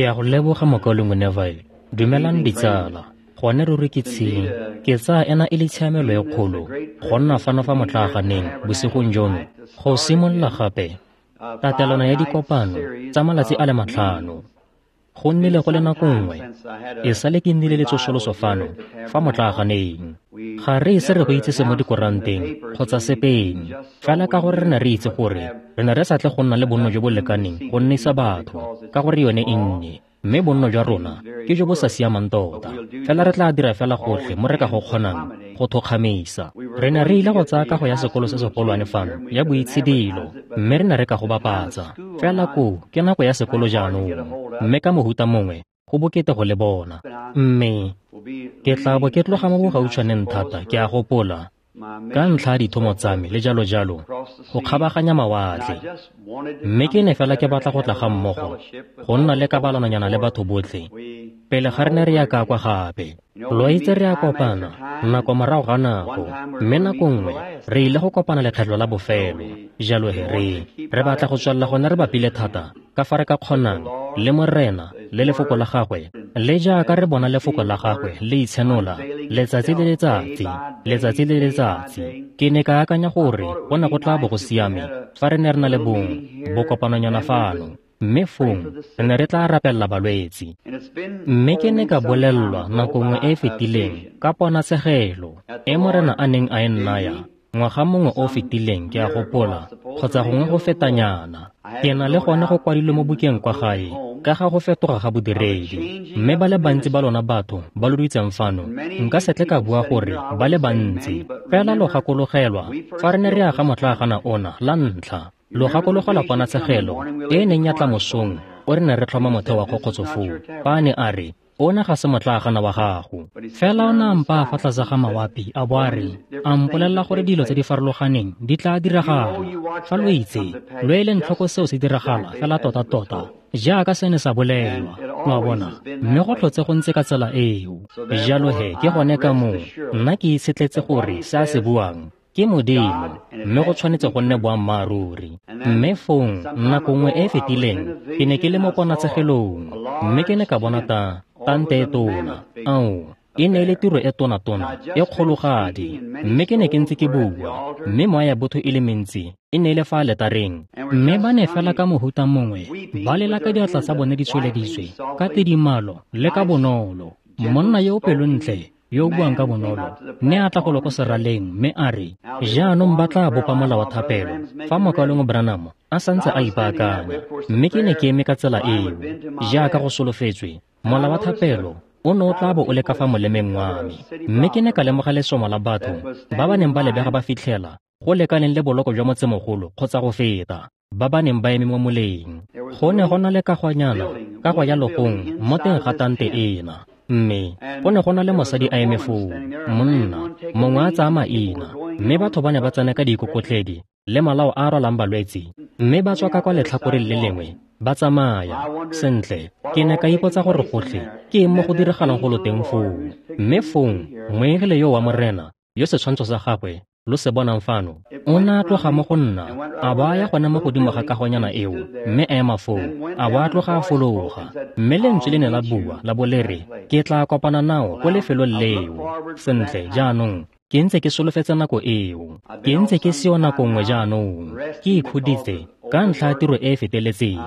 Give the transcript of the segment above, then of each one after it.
Ke a go leboga mokaulengwe Neville. Dumelang ditsala. Gone ruri ke tsheng. Ke tsaya ena e le tshiamelo e kgolo go nna fano fa motlaaganeng bosigong jono go simolola gape tatelano ya dikopano tsa malatsi a le 5. Go nnile go le nako nngwe e sale ke nnile le tsosoloso fano fa motlaaganeng. Ga re ise re go itsise mo dikoranteng kgotsa sepeng, fela ka gore re ne re itse gore re ne re sa tle go nna le bonno jo bo lekaneng go nnisa batho, ka gore yone e nnye, mme bonno jwa rona ke jo bo sa siamang tota. Fela re tla dira fela gotlhe mo re ka go kgonang go thokgamisa. Re ne re ile go tsaya kago ya sekolo se segolwane fano ya boitshidilo, mme re ne re ka go bapatsa. Fela koo ke nako ya sekolo jaanong, mme ka mohuta mongwe go bokete go le bona. Mme ke tla bo ke tloga mo bogautshwaneng thata, ke a gopola, ka ntlha ya dithomo tsa me le jalo jalo, go kgabaganya mawatle. Mme ke ne fela ke batla go tla ga mmogo go nna le kabalanonyana le batho botlhe pele ga re ne re ya ka kwa gape. Lo itse re a kopana nako morago ga nako, mme nako nngwe re ile go kopana lekgetlho la bofelo. Jalo he re batla go tswelela gone re bapile thata ka fa re ka kgonang le Morena le lefoko la gagwe, le jaaka re bona lefoko la gagwe le itshenola letsatsi le letsatsi, letsatsi le letsatsi. Ke ne ka akanya gore go ne go tla bo go siame fa re ne re na le bongwe bokopanonyana fano, mme fong re ne re tla rapelela balwetsi. Mme ke ne ka bolelelwa nako nngwe e e fetileng ka ponatshegelo e Morena a neng a e nnaya ngwaga mongwe o fetileng, ke a gopola, kgotsa gongwe go fetanyana. Ke na le gone go kwadilwe mo bukeng kwa gae ka ga go fetoga ga bodiredi. Mme ba le bantsi ba lona batho ba lo dutseng fano, nka se tle ka bua gore ba le bantsi, fela lo gakologelwa fa re ne re aga motlaagana ona la ntlha. Lo gakologelwa ponatshegelo e e neng ya tla mosong o re ne re tlhoma motheo wa kgokgotso foo, fa a ne a re, ona ga se motlaagana wa gago. Fela o ne a mpaa fa tlase ga mawapi a bo a re, a mpolelela gore dilo tse di farologaneng di tla diragala. Fa lo itse, lo eleng tlhoko seo se diragala fela tota-tota jaaka se ne sa bolelwa, lo a bona, mme go tlhotse go ntse ka tsela eo. Jalo he ke gone ka moo nna ke itshetletse gore se a se buang ke Modimo, mme go tshwanetse go nne boammaaruri. Mme fong nako nngwe e e fetileng ke ne ke le mo ponatshegelong, mme ke ne ka bona tante e tona. Ao, e ne e le tiro e tona-tona e kgologadi, mme ke ne ke ntse ke bua, mme moya ya botho e le mentsi e ne e le fa aletareng. Mme ba ne fela ka mohuta mongwe ba lela ka diatla tsa bone di tsholeditswe ka tidimalo le ka bonolo. Monna yo o pelontle yo o buang ka bonolo ne a tla golo ko seraleng mme a re, jaanong ba tla bopa molao wa thapelo fa mokaulengwe Branham a santse a ipaakanya. Mme ke ne ke eme ka tsela eo jaaka go solofetswe. Mola wa thapelo o ne o tla bo o le ka fa molemeng wa me, mme ke ne ka lemoga lesomo la batho ba ba neng ba lebega ba fitlhela go lekaneng le boloko jwa motsemogolo kgotsa go feta, ba ba neng ba eme mo moleng. Go ne go na le kagwanyana, kago ya logong mo teng ga tante ena, mme go ne go na le mosadi a eme foo, monna mongwe a tsaya maina, mme batho ba ne ba tsena ka diikokotledi le malao a a rwalang balwetsi, mme ba tswa ka kwa letlhakoreng le lengwe ba tsamaya. Sentle, ke ne ka ipotsa gore gotlhe ke eng mo go diragalang go lo teng foo. Mme fong moengele yo wa Morena, yo setshwantsho sa gagwe lo se bonang fano, o ne a tloga mo go nna a bo a ya gone mo godimo ga kagonyana eo, mme a ema foo, a bo a tloga a fologa. Mme lentswe le ne la bua la bo le re, ke tla kopana nao ko lefelong leo. Sentle, jaanong ke ntse ke solofetse nako eo. Ke ntse ke seo nako nngwe jaanong, ke ikhuditse ka ntlha ya tiro e e feteletseng.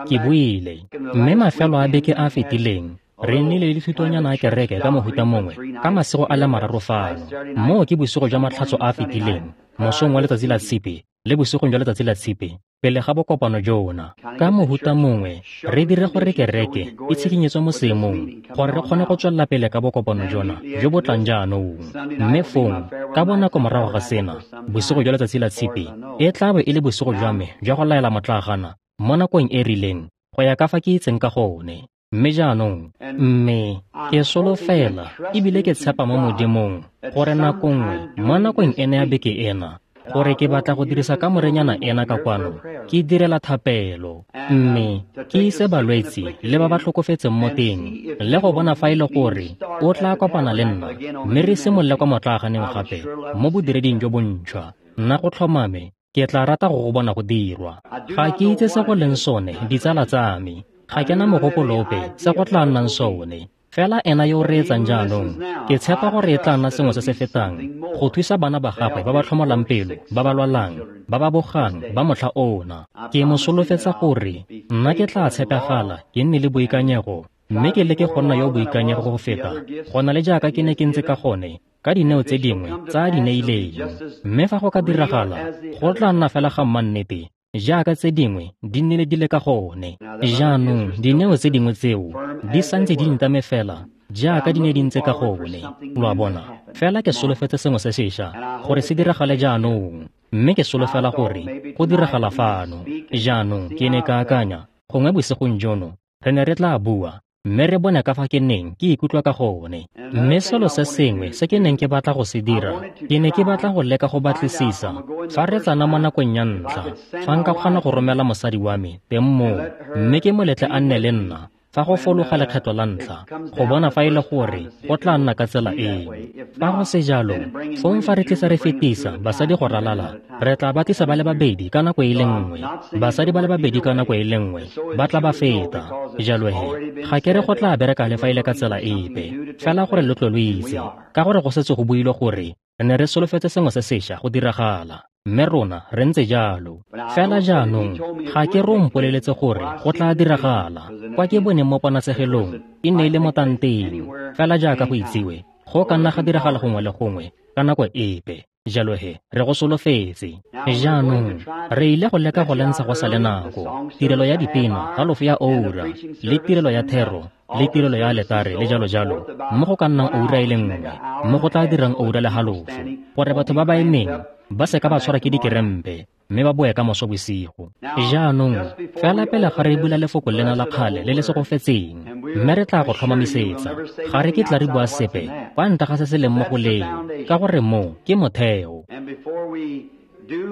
Ke buile, mme mafelo a beke a fetileng re nnile le dithutonyana ya kereke ka mohuta mongwe ka masigo a le 3 fano. Moo ke bosigo jwa matlhatso a a fetileng, mosong wa letsatsi la Tshipi le bosigong jwa letsatsi la Tshipi pele ga bokopano jona. Ka mohuta mongwe re dire gore kereke e tshikinyetswe mo seemong gore re kgone go tswelela pele ka bokopano jona jo bo tlang jaanong. Mme fong ka bonako morago ga sena, bosigo jwa letsatsi la Tshipi e tla bo e le bosigo jwa me jwa go laela motlaagana mo nakong e rileng go ya ka fa ke itseng ka gone. Mme jaanong, mme ke solofela ebile ke tshepa mo Modimong gore nako nngwe mo nakong ena ya beke ena, gore ke batla go dirisa kamorenyana ena ka kwano ke direla thapelo, mme ke ise balwetsi le ba ba tlhokofetseng mo teng, le go bona fa e le gore o tla kopana le nna, mme re simolole kwa motlaaganeng gape mo bodireding jo bontšhwa. Nna go tlhomame ke tla rata go go bona go dirwa. Ga ke itse se go leng sone, ditsala tsa me. Ga ke na mogopolo ope se go tla nnang sone. Fela ena yo o reetsang jaanong, ke tshepa gore e tla nna sengwe se se fetang go thusa bana ba gagwe ba ba tlhomolang pelo, ba ba lwalang, ba ba bogang ba motlha ona. Ke mo solofetsa gore nna ke tla tshepegala, ke nne le boikanyego, mme ke leke go nna yo boikanyego go feta go na le jaaka ke ne ke ntse ka gone ka dineo tse dingwe tsa a di neileng. Mme fa go ka diragala, go tla nna fela ga mmannete jaaka tse dingwe di nnile di le ka gone. Jaanong dineo tse dingwe tseo di santse di ntame fela jaaka di ne di ntse ka gone. Lo a bona? Fela ke solofetse sengwe se sešwa gore se diragale jaanong, mme ke solofela gore go diragala fano. Jaanong ke ne ka akanya gongwe bosigong jono re ne re tla bua mme re bone ka fa ke neng ke ikutlwa ka gone. Mme selo se sengwe se ke neng ke batla go se dira, ke ne ke batla go leka go batlisisa fa re tsena mo nakong ya ntlha, fa nka kgona go romela mosadi wa me teng moo, mme ke mo letle a nne le nna fa go fologa lekgetlo la ntlha, go bona fa e le gore go tla nna ka tsela eo. Fa go se jalo, fong fa re tlisa re fetisa basadi go ralala, re tla ba tlisa ba le babedi ka nako e le nngwe, basadi ba le babedi ka nako e le nngwe, ba tla ba feta. Jalo he, ga ke re go tla bereka le fa e le ka tsela epe, fela gore lo tlo lo itse, ka gore go setse go builwe gore re ne re solofetse sengwe se sešwa go diragala, mme rona re ntse jalo. Fela jaanong ga ke re o mpoleletse gore go tla diragala. Kwa ke boneng mo ponatshegelong e ne e le mo tanteng, fela jaaka go itsiwe, go ka nna ga diragala gongwe le gongwe ka nako epe. Jalo he, re go solofetse. Jaanong re ile go leka go lentsha go sa le nako tirelo ya dipina, halofo ya oura, le tirelo ya thero, le tirelo ya aletare, le jalo jalo, mo go ka nnang oura e le nngwe, mo go tla dirang oura le halofo, gore batho ba ba emeng ba se ka ba tshwarwa ke dikerempe mme ba boe ka moso bosigo. Jaanong fela pele ga re bula lefoko lena la kgale le le segofetseng, mme re tla go tlhomamisetsa, ga re kitla re bua sepe kwa ntle ga se se leng mo go leo, ka gore moo ke motheo.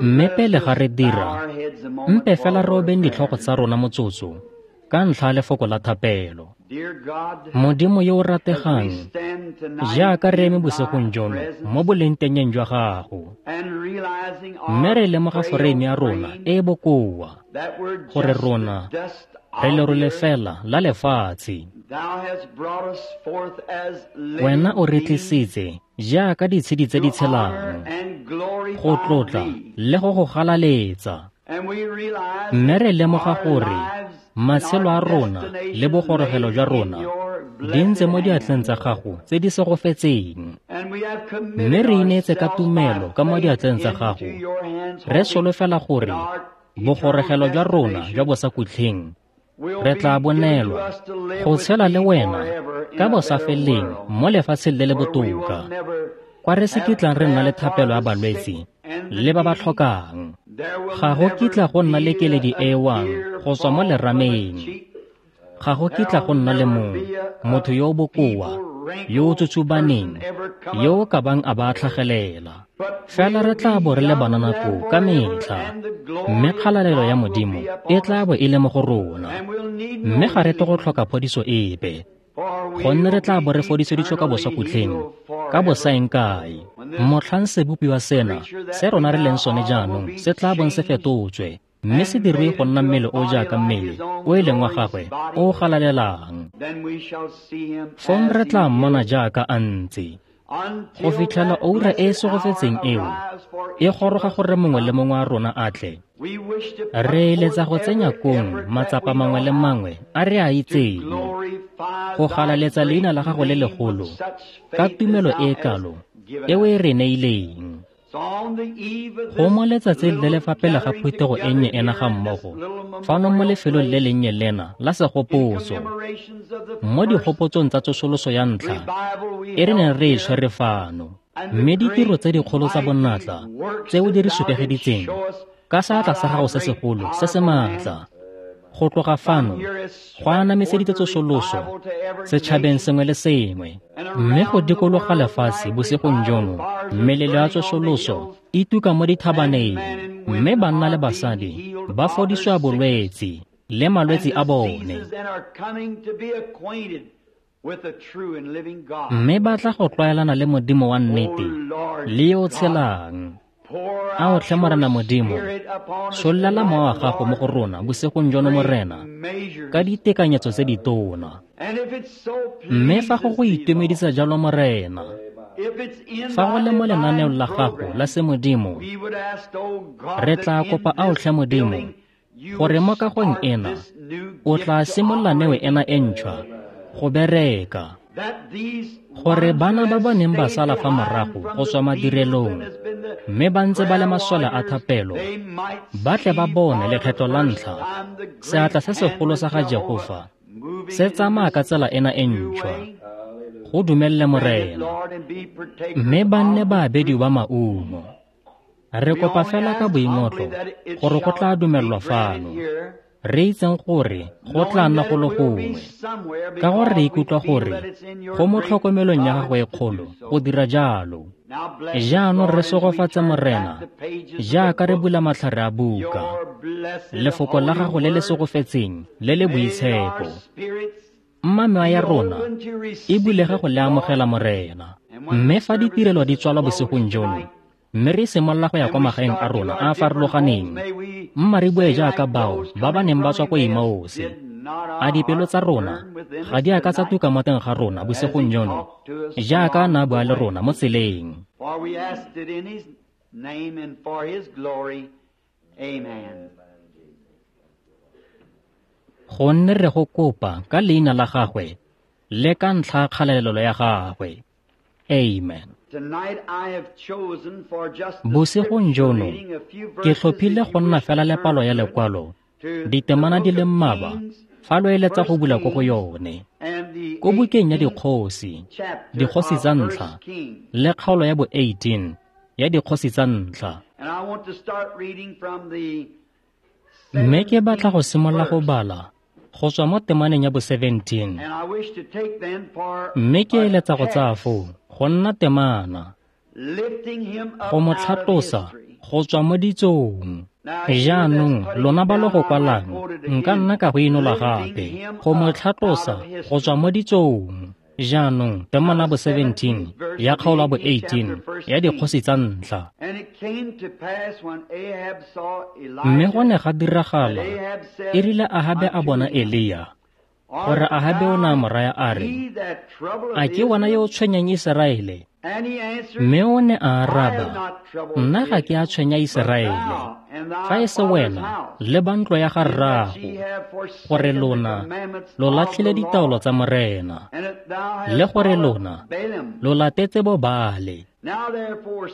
Mme pele ga re dira, mpe fela re obeng ditlhogo tsa rona motsotso ka ntlha ya lefoko la thapelo. Modimo yo o rategang, jaaka re eme bosigong jono mo bolengtengeng jwa gago, mme re lemoga foreime ya rona e e bokoa, gore rona re lerole fela la lefatshe. Wena o re tlisitse jaaka ditshedi tse di tshelang, go tlotla le go go galaletsa. Mme re lemoga gore matshelo a rona le bogorogelo jwa rona di ntse mo diatleng tsa gago tse di segofetseng. Mme re ineetse ka tumelo ka mo diatleng tsa gago, re solofela gore bogorogelo jwa rona jwa bosakhutleng re tla bonelwa go tshela le wena ka bosafeleng mo lefatsheng le le botoka, kwa re se kitlang re nna le thapelo ya balwetse le ba ba tlhokang. Ga go kitla go nna le keledi e ewang go tswa mo lerameng. Ga go kitla go nna le mongwe motho yo o bokoa, yo o tsutsubaneng, yo o ka bang a ba tlhagelela. Fela re tla bo re le bana nako ka metlha, mme kgalalelo ya Modimo e tla bo e le mo go rona. Mme ga re tle go tlhoka phodiso epe, gonne re tla bo re fodiseditswe ka bosakhutleng, ka bosaeng kae. Motlhang sebopiwa sena se rona re leng sone jaanong se tla bong se fetotswe, mme se dirwe go nna mmele o jaaka mmele o e leng wa gagwe o o galalelang. Fong re tla mmona jaaka a ntse, go fitlhela oura e e segofetseng eo e goroga gore mongwe le mongwe wa rona a tle. Re eletsa go tsenya kong matsapa mangwe le mangwe a re a itseng, go galaletsa leina la gago le legolo ka tumelo e e kalo eo e re neileng. Go mo letsatsing le le fa pele ga phuthego e nnye ena ga mmogo, fano mo lefelong le lennye lena la segopotso, mo digopotsong tsa tsosoloso ya ntlha e re neng re e tshwere fano, mme ditiro tse dikgolo tsa bonatla tseo di re supegeditseng ka seatla sa gago se segolo se se maatla, go tloga fano go anamiseditse tsosoloso setšhabeng sengwe le sengwe. Mme go dikologa lefatshe bosigong jono, melelo ya tsosoloso e tuka mo dithabaneng, mme banna le basadi ba fodisiwa bolwetse le malwetse a bone, mme ba tla go tlwaelana le Modimo wa nnete le yo o tshelang. Ao tlhe Morena Modimo, tshollela mowa wa gago mo go rona bosigong jono Morena, ka ditekanyetso tse ditona. Mme fa go go itumedisa jalo Morena, fa go le mo lenaneong la gago la semodimo, re tla kopa ao tlhe Modimo gore mo kagong ena o tla simolola neo ena e ntšhwa go bereka, gore bana ba ba neng ba sala fa morago go tswa madirelong mme ba ntse ba le masole a thapelo ba tle ba bone lekgetlo la ntlha seatla se segolo sa ga Jehofa se tsamaya ka tsela ena e ntšhwa. Go dumelele Morena, mme ba nne baabedi ba maungo. Re kopa fela ka boingotlo gore go tla dumelelwa fano, re itseng gore go tla nna go le gongwe, ka gore re ikutlwa gore go mo tlhokomelong ya gago e kgolo go dira jalo. Jaanong re segofatse Morena jaaka re bula matlhare a buka, lefoko la gago le le segofetseng le le boitshepo. Mma mewa ya rona e bulege go le amogela Morena. Mme fa ditirelo di tswalwa bosigong jono, mme re simolola go ya kwa magaeng a rona a a farologaneng, mma re bue jaaka bao ba ba neng ba tswa ko Emaose. A dipelo tsa rona ga di a ka tsa tuka mo teng ga rona bosigong jono, jaaka a ne a bua le rona mo tseleng. Gonne re go kopa ka leina la gagwe le ka ntlha ya kgalalelo ya gagwe. Amen. Bosigong jono ke tlhophile go nna fela le palo ya lekwalo, ditemana di le mmalwa fa lo eletsa go bula ko go yone, ko bukeng ya Dikgosi, Dikgosi tsa ntlha, le kgaolo ya bo 18 ya Dikgosi tsa ntlha. Mme ke batla go simolola go bala go tswa mo temaneng ya bo 17, mme ke eletsa go tsaya foo go nna temana, go mo tlhatlosa go tswa mo ditsong. Jaanong lona ba lo go kwalang, nka nna ka go inola gape, go mo tlhatlosa go tswa mo ditsong. Jaanong temana bo 17 ya kgaolo bo 18 ya Dikgosi tsa ntlha. Mme go ne ga diragala e rile Ahabe a bona Elia, gore Ahabe o ne a mo raya a re, a ke wena yo o tshwenyang Iseraele? Mme o ne a araba, nna ga ke a tshwenya Iseraele, fa e se wena le ba ntlo ya ga rrago, gore lona lo latlhile ditaolo tsa Morena, le gore lona lo latetse bo Baale.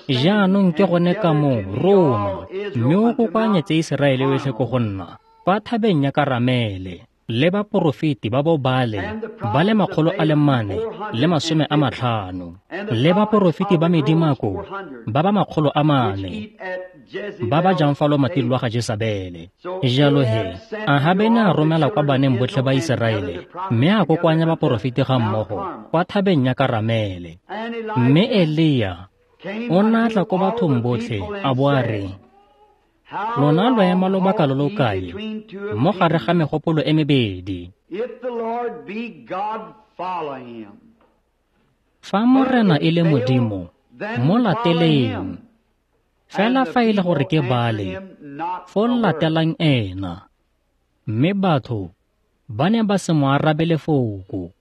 Jaanong ke gone ka moo roma mme o kokoanyetse Iseraele yotlhe ko go nna kwa thabeng ya Karamele, le baporofeti ba bo Baale ba le 450, le baporofeti ba medimako ba ba 400, ba ba jang fa lomating lwa ga Jesabele. Jalo he Ahabe ne a romela kwa baneng botlhe ba Iseraele, mme a kokoanya baporofeti ga mmogo kwa thabeng ya Karamele. Mme Elia o ne a tla ko bathong botlhe a bo a re, lona lo ema lobaka lo lo kae mo gare ga megopolo e mebedi? Fa Morena e le Modimo, mo lateleng. Fela fa e le gore ke Baale, fo latelang ena. Mme batho ba ne ba se mo arabe lefoko.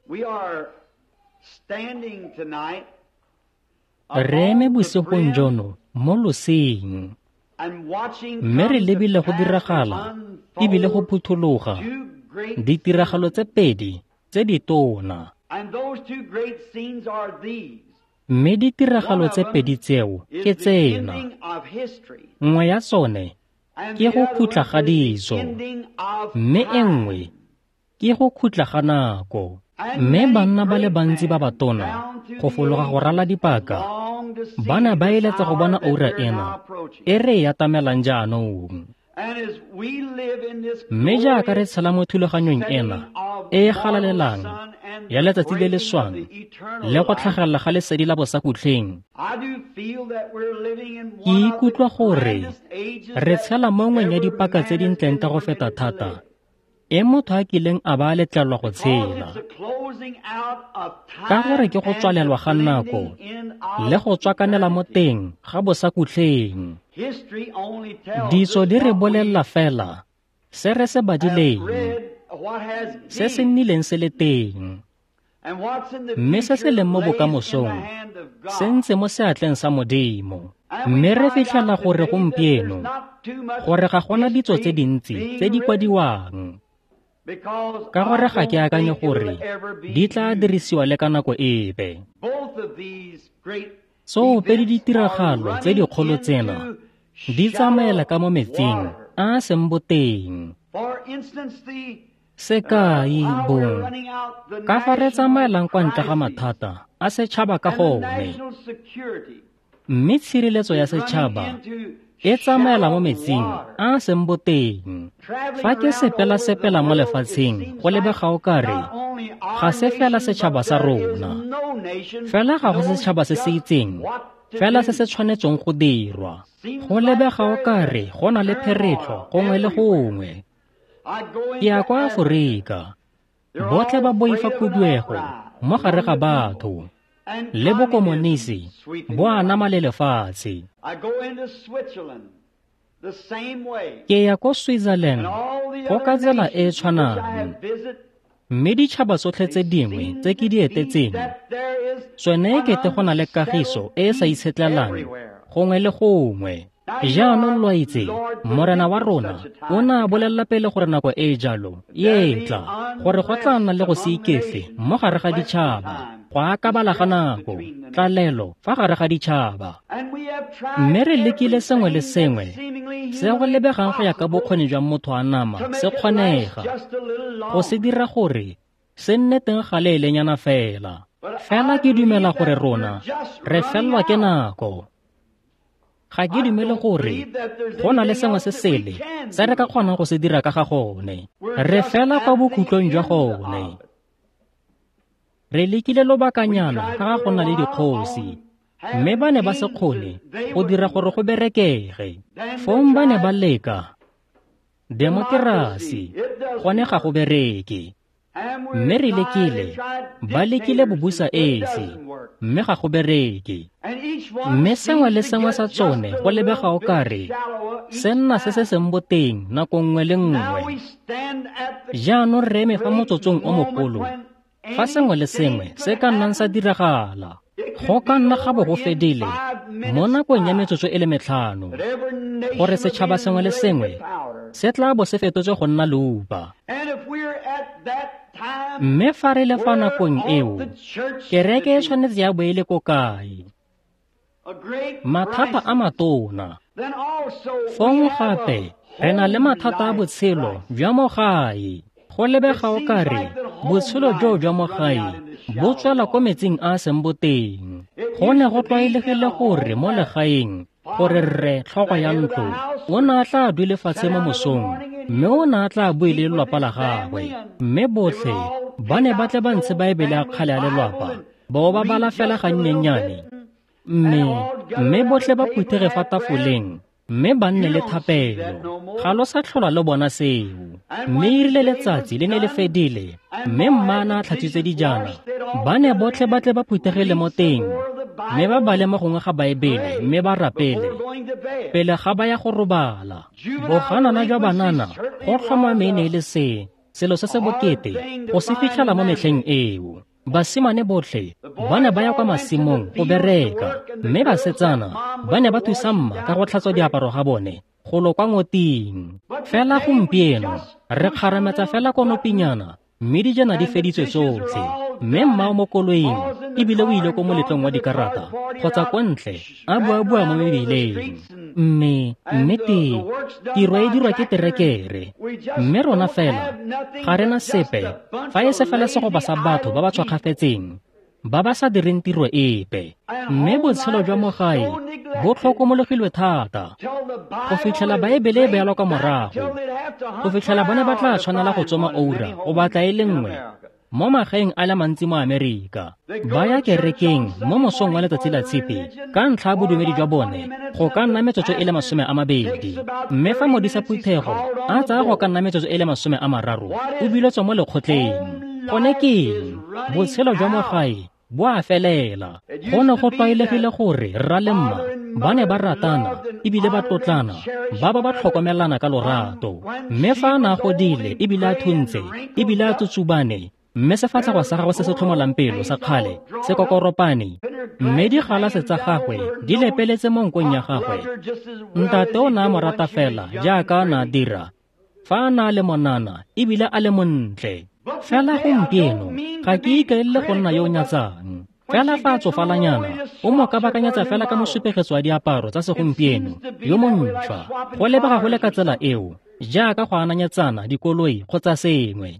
Re eme bosigong jono mo losing, mme re lebile go diragala ebile go phuthologa ditiragalo tse pedi tse ditona. Mme ditiragalo tse pedi tseo ke tsena. Nngwe ya tsone ke go khutla ga ditso, mme e nngwe ke go khutla ga nako. Mme banna ba le bantsi ba batona go fologa go rala dipaka ba ne ba eletsa go bona oura ena e re e atamelang jaanong. Mme jaaka re tshela mo thulaganyong ena e e galalelang ya letsatsi le le swang le go tlhagelela ga lesedi la bosakhutleng, ke ikutlwa gore re tshela mo nngweng ya dipaka tse dintlentle go feta thata e motho a kileng a ba a letlelelwa go tshela. Ka gore ke go tswalelwa ga nako le go tswakanela mo teng ga bosakutleng. Ditso di re bolelela fela se re se badileng, se se nnileng se le teng, mme se se leng mo bokamosong se ntse mo seatleng sa Modimo. Mme re fitlhela gore gompieno gore ga gona ditso tse dintsi tse di kwadiwang, ka gore ga ke akanye gore di tla dirisiwa le ka nako epe. Tsoopedi ditiragalo tse dikgolo tsena di tsamaela ka mo metsing a a seng boteng. Sekai bong, ka fa re tsamaelang kwa ntle ga mathata a setšhaba ka gone, mme tshireletso ya setšhaba e tsamaela mo metsing a a seng boteng. Fa ke sepela-sepela mo lefatsheng, go lebega o kare ga se fela setšhaba sa rona, fela ga go setšhaba se se itseng fela se se tshwanetseng go dirwa. Go lebega o kare go na le pheretlho gongwe le gongwe. Ke ya kwa Aforika, botlhe ba boifa khuduego mo gare ga batho, le bokomonisi bo anama le lefatshe. Ke ya ko Switzerland go ka tsela e e tshwanang, mme ditšhaba tsotlhe tse dingwe tse ke di etetseng tsone e kete go na le kagiso e e sa itshetlelang gongwe le gongwe. Jaanong lo a itse, Morena wa rona o ne a bolelela pele gore nako e e jalo e tla, gore go tla nna le go se iketle mo gare ga ditšhaba, go akabala ga nako, tlalelo fa gare ga ditšhaba. Mme re lekile sengwe le sengwe se go lebegang go ya ka bokgoni jwa motho a nama se kgonega, go se dira gore se nne teng ga leelenyana fela. Fela ke dumela gore rona re fellwa ke nako. Ga ke dumele gore go na le sengwe se sele se re ka kgonang go se dira ka ga gone. Re fela kwa bokhutlong jwa gone. Re lekile lobakanyana ka ga go na le dikgosi, mme ba ne ba se kgone go dira gore go berekege. Fong ba ne ba leka demokerasi, gone ga go bereke. Mme re lekile, ba lekile bobusa esi, mme ga go bereke. Mme sengwe le sengwe sa tsone go lebega o kare se nna se se seng boteng nako nngwe le nngwe. Jaanong re eme fa motsotsong o mogolo, fa sengwe le sengwe se ka nnang sa diragala. Go ka nna ga bo go fedile mo nakong ya metsotso e le 5, gore setšhaba sengwe le sengwe se tla bo se fetotswe go nna leuba. Mme fa re le fa nakong eo, kereke e tshwanetse ya bo e le ko kae? Mathata a matona. Fong gape re na le mathata a botshelo jwa mo gae. Go lebega o kare botshelo joo jwa mo gae bo tswela ko metsing a a seng boteng. Go ne go tlwaelegile gore mo legaeng gore rre tlhogo ya ntlo o ne a tla dule fatshe mo mosong, mme o ne a tla bue le lelwapa la gagwe, mme botlhe ba ne ba tle ba ntshe Baebele ya kgale ya lelwapa bo ba bala fela gannyennyane, mme botlhe ba phuthege fa tafoleng mme ba nne le thapelo. Ga lo sa tlhola lo bona seo. Mme erile letsatsi le ne le fedile, mme mma a ne a tlhatswitse dijana, ba ne botlhe ba tle ba phuthegile mo teng, mme ba bale mo gongwe ga Baebele mme ba rapele pele ga ba ya go robala. Boganana jwa banana go tlhomame e ne e le se selo se se bokete go se fitlhela mo metlheng eo. Basimane botlhe ba ne ba ya kwa masimong go bereka, mme basetsana ba ne ba thusa mma ka go tlhatswa diaparo ga bone golo kwa ngoting. Fela gompieno re kgarametsa fela konopinyana, mme dijana di feditswe tsotlhe, mme mma o mo koloing ebile o ile ko moletlong wa dikarata kgotsa ko ntle a bua-bua mo mebileng. Mme tiro e dirwa ke terekere, mme rona fela ga re na sepe fa e se fela segopa sa batho ba ba tshwakgafetseng ba ba sa direng tiro epe. Mme botshelo jwa mo gae bo tlhokomologilwe thata go fitlhela Baebele e beelwa kwa morago, go fitlhela ba ne ba tla tshwanela go tsoma oura go batla e le nngwe Mo magaeng a le mantsi mo Amerika, ba ya kerekeng mo mosong wa letsatsi la Tshipi ka ntlha ya bodumedi jwa bone go ka nna metsotso e le 20. Mme fa modisa phuthego a tsaya go ka nna metsotso e le 30, o biletswa mo lekgotleng. Gone ke eng? Botshelo jwa mo gae bo a felela. Go ne go tlwaelegile gore rra le mma ba ne ba ratana ebile ba tlotlana, ba ba ba tlhokomelana ka lorato. Mme fa a ne a godile ebile a thuntse ebile a tsutsubane, mme sefatlhego sa gagwe se se tlhomolang pelo sa kgale se kokoropane, mme digalase tsa gagwe di lepeletse mo nkong ya gagwe, ntate o ne a mo rata fela jaaka a ne a dira fa a ne a le monana ebile a le montle. Fela gompieno ga ke ikaelele go nna yo o nyatsang. Fela fa a tsofalanyana, o mo kabakanyetsa fela ka mosupegetso wa diaparo tsa segompieno yo montšhwa. Go lebega go le ka tsela eo, jaaka go ananyetsana dikoloi kgotsa sengwe.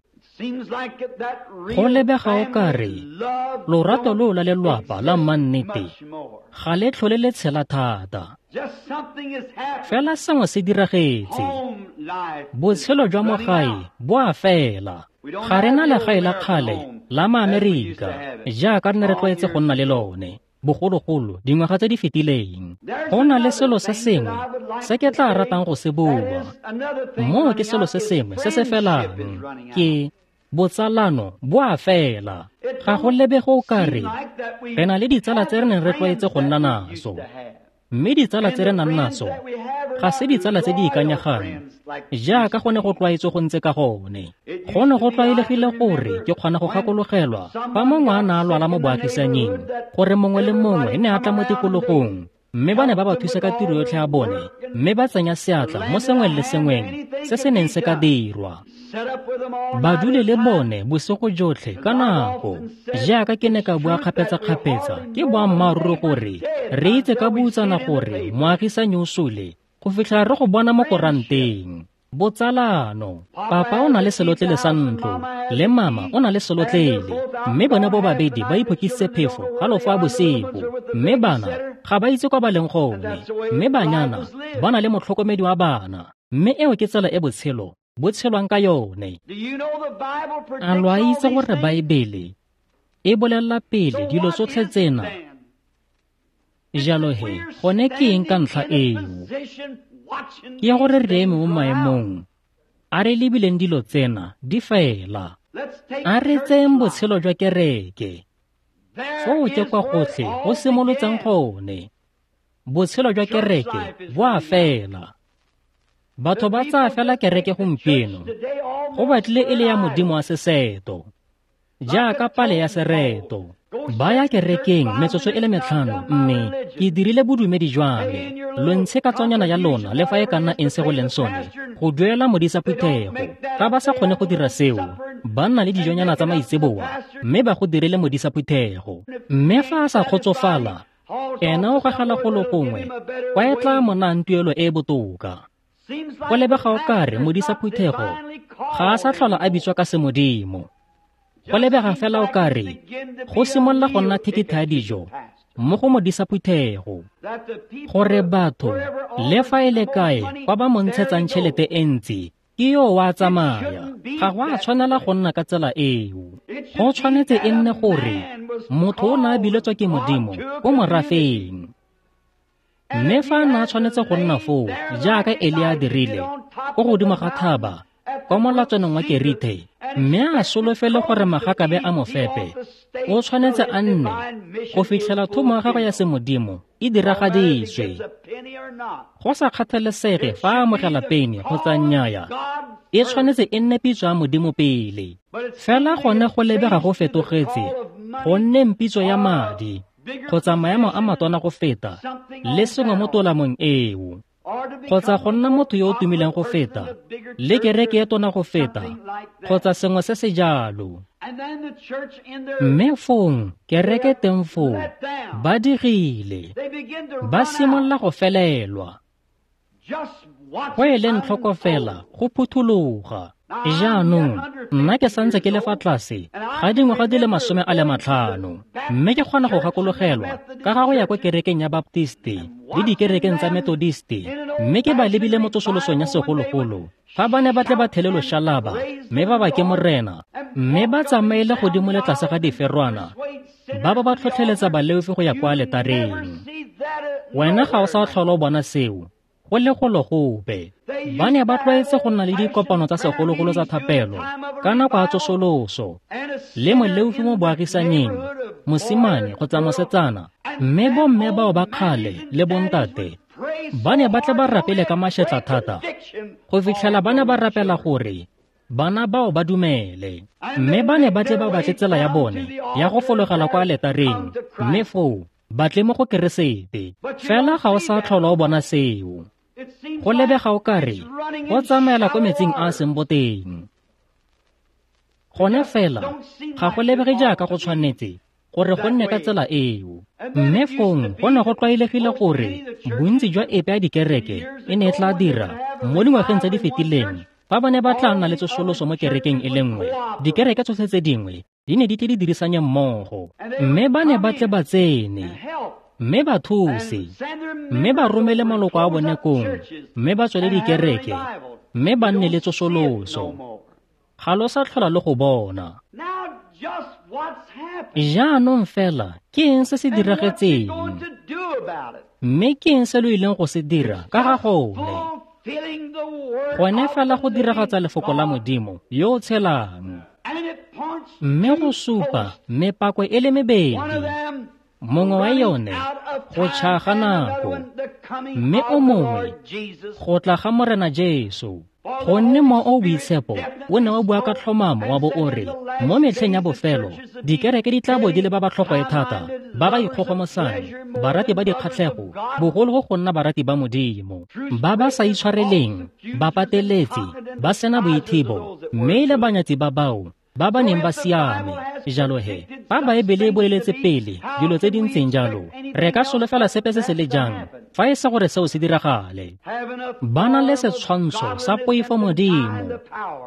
Go lebega o kare lorato loo la lelwapa la mmannete ga le tlhole le tshela thata. Fela sengwe se diragetse. Botshelo jwa mo gae bo a fela. Ga re na legae la kgale la Maamerika jaaka re ne re tlwaetse go nna le lone bogologolo dingwaga tse di fetileng. Go na le selo se sengwe se ke tla ratang go se bua. Moo ke selo se sengwe se se felang, ke botsalano bo a fela. Ga go lebege o kare re na le ditsala tse re neng re tlwaetse go nna naso, mme ditsala tse re nang naso ga se ditsala tse di ikanyegang jaaka go ne go tlwaetswe go ntse ka gone. Go ne go tlwaelegile gore ke kgona go gakologelwa fa mongwe a ne a lwala mo boagisanying, gore mongwe le mongwe ne a tla mo tikologong, mme ba ne ba ba thusa ka tiro yotlhe ya bone, mme ba tsenya seatla mo sengweng le sengweng se se neng se ka dirwa. Ba dule le bone bosigo jotlhe ka nako. Jaaka ke ne ka bua kgapetsa-kgapetsa, ke boammaaruri gore re itse ka boutsana gore moagisanyi o sule go fitlhela re go bona mo koranteng. Botsalano. Papa o na le selotlele sa ntlo, le mama o na le selotlele, mme bone bo babedi ba iphokisitse phefo halofo ya bosigo, mme bana ga ba itse kwa ba leng gone, mme banyana ba na le motlhokomedi wa bana, mme eo ke tsela e botshelo bo tshelwang ka yone. A lo a itse gore Baebele e bolelela pele dilo tsotlhe tsena? Jalo he, gone ke eng ka ntlha eo? Ke gore re eme mo maemong a re lebileng dilo tsena di fela. A re tseyeng botshelo jwa kereke. Foo ke kwa gotlhe go simolotseng gone. Botshelo jwa kereke bo a fela. Batho ba tsaya fela kereke gompieno go batlile e le ya modimo wa seseto, jaaka pale ya sereto. Ba ya kerekeng metsotso e le 5, mme ke dirile bodumedi jwa me. Lo ntshe ka tsonyana ya lona le fa e ka nna eng se go leng sone go duela modisa phuthego. Ga ba sa kgone go dira seo, ba nna le dijonyana tsa maitseboa, mme ba go direle modisa phuthego. Mme fa a sa kgotsofala, ena o gagala golo gongwe kwa e tla mo nayang tuelo e e botoka. Go lebega o kare modisa phuthego ga a sa tlhola a bitswa ka semodimo. Go lebega fela o kare go simolola go nna thekethe ya dijo mo go modisa phuthego, gore batho le fa e le kae kwa ba mo ntshetsang tšhelete e ntsi ke yo wa tsamaya. Ga go a tshwanela go nna ka tsela eo. Go tshwanetse e nne gore motho o ne a biletswa ke Modimo ko morafeng. Mme fa a ne a tshwanetse go nna foo jaaka Elia a dirile ko godimo ga thaba kwa molatswaneng wa Kerithe, mme a solofele gore magakabe a mo fepe, o tshwanetse a nne go fitlhela thomo ya gagwe ya semodimo e diragaditswe. Go sa kgathalesege fa a amogela peni kgotsa nnyaya, e tshwanetse e nne pitso ya Modimo pele. Fela gone go lebega go fetogetse go nneng pitso ya madi kgotsa maemo a matona go feta le sengwe mo tolamong eo, kgotsa go nna motho yo o tumileng go feta le kereke e tona go feta kgotsa sengwe se se jalo. Mme fong kereke teng foo ba digile, ba simolola go felelwa. Go e leng tlhoko fela go phuthologa. Jaanong nna ke santse ke le fa tlase ga dingwaga di le 50, mme ke kgona go gakologelwa ka ga go ya kwa kerekeng ya Baptiste le dikerekeng tsa Methodiste Mme ke ba lebile mo tsosolosong ya segologolo, fa ba ne ba tle ba thele loshalaba, mme ba bake Morena, mme ba tsamaele godimo le tlase ga diferwana, ba ba ba tlhotlheletsa baleofi go ya kwa aletareng. Wena ga o sa tlhola o bona seo, go le golo gope. Ba ne ba tlwaetse go nna le dikopano tsa segologolo tsa thapelo ka nako ya tsosoloso, le moleofi mo boagisanyeng, mosimane kgotsa mosetsana, mme bomme bao ba kgale le bontate ba ne ba tle ba rapele ka mašetla thata go fitlhela ba ne ba rapela gore bana bao ba dumele. Mme ba ne ba tle ba batle tsela ya bone ya go fologela kwa aletareng, mme foo ba tle mo go Keresete. Fela ga o sa tlhola o bona seo. Go lebega o kare go tsamaela ko metsing a a seng boteng. Gone fela ga go lebege jaaka go tshwanetse gore go nne ka tsela eo. Mme fong go ne go tlwaelegile gore bontsi jwa epe ya dikereke e ne e tla dira mo dingwageng tse di fetileng, fa ba ne ba tla nna le tsosoloso mo kerekeng e le nngwe, dikereke tsotlhe tse dingwe di ne di tle di dirisanye mmogo, mme ba ne ba tle ba tsene, mme ba thuse, mme ba romele maloko a bone kong, mme ba tswele dikereke, mme ba nne le tsosoloso. Ga lo sa tlhola le go bona. Jaanong fela ke eng se se diragetseng? Mme ke eng se lo ileng go se dira ka ga gone? Gone fela go diragatsa lefoko la Modimo yo o tshelang, mme go supa mepako e le mebedi, mongwe wa yone go tšha ga nako, mme o mongwe go tla ga Morena Jesu. Gonne Mowa o o Boitshepo o ne wa bua ka tlhomamo wa bo o re, mo metlheng ya bofelo dikereke di tla bo di le ba ba tlhogo e thata, ba ba ikgogomosang, barati ba dikgatlhego, bogolo go nna barati ba Modimo, ba ba sa itshwareleng, ba pateletse, ba sena boithibo, mme e le banyatsi ba bao ba ba neng ba siame. Jalo he, fa Baebele e boleletse pele dilo tse di ntseng jalo, re ka solofela sepe se se le jang fa e se gore seo se diragale? Ba na le setshwantsho sa poifo Modimo,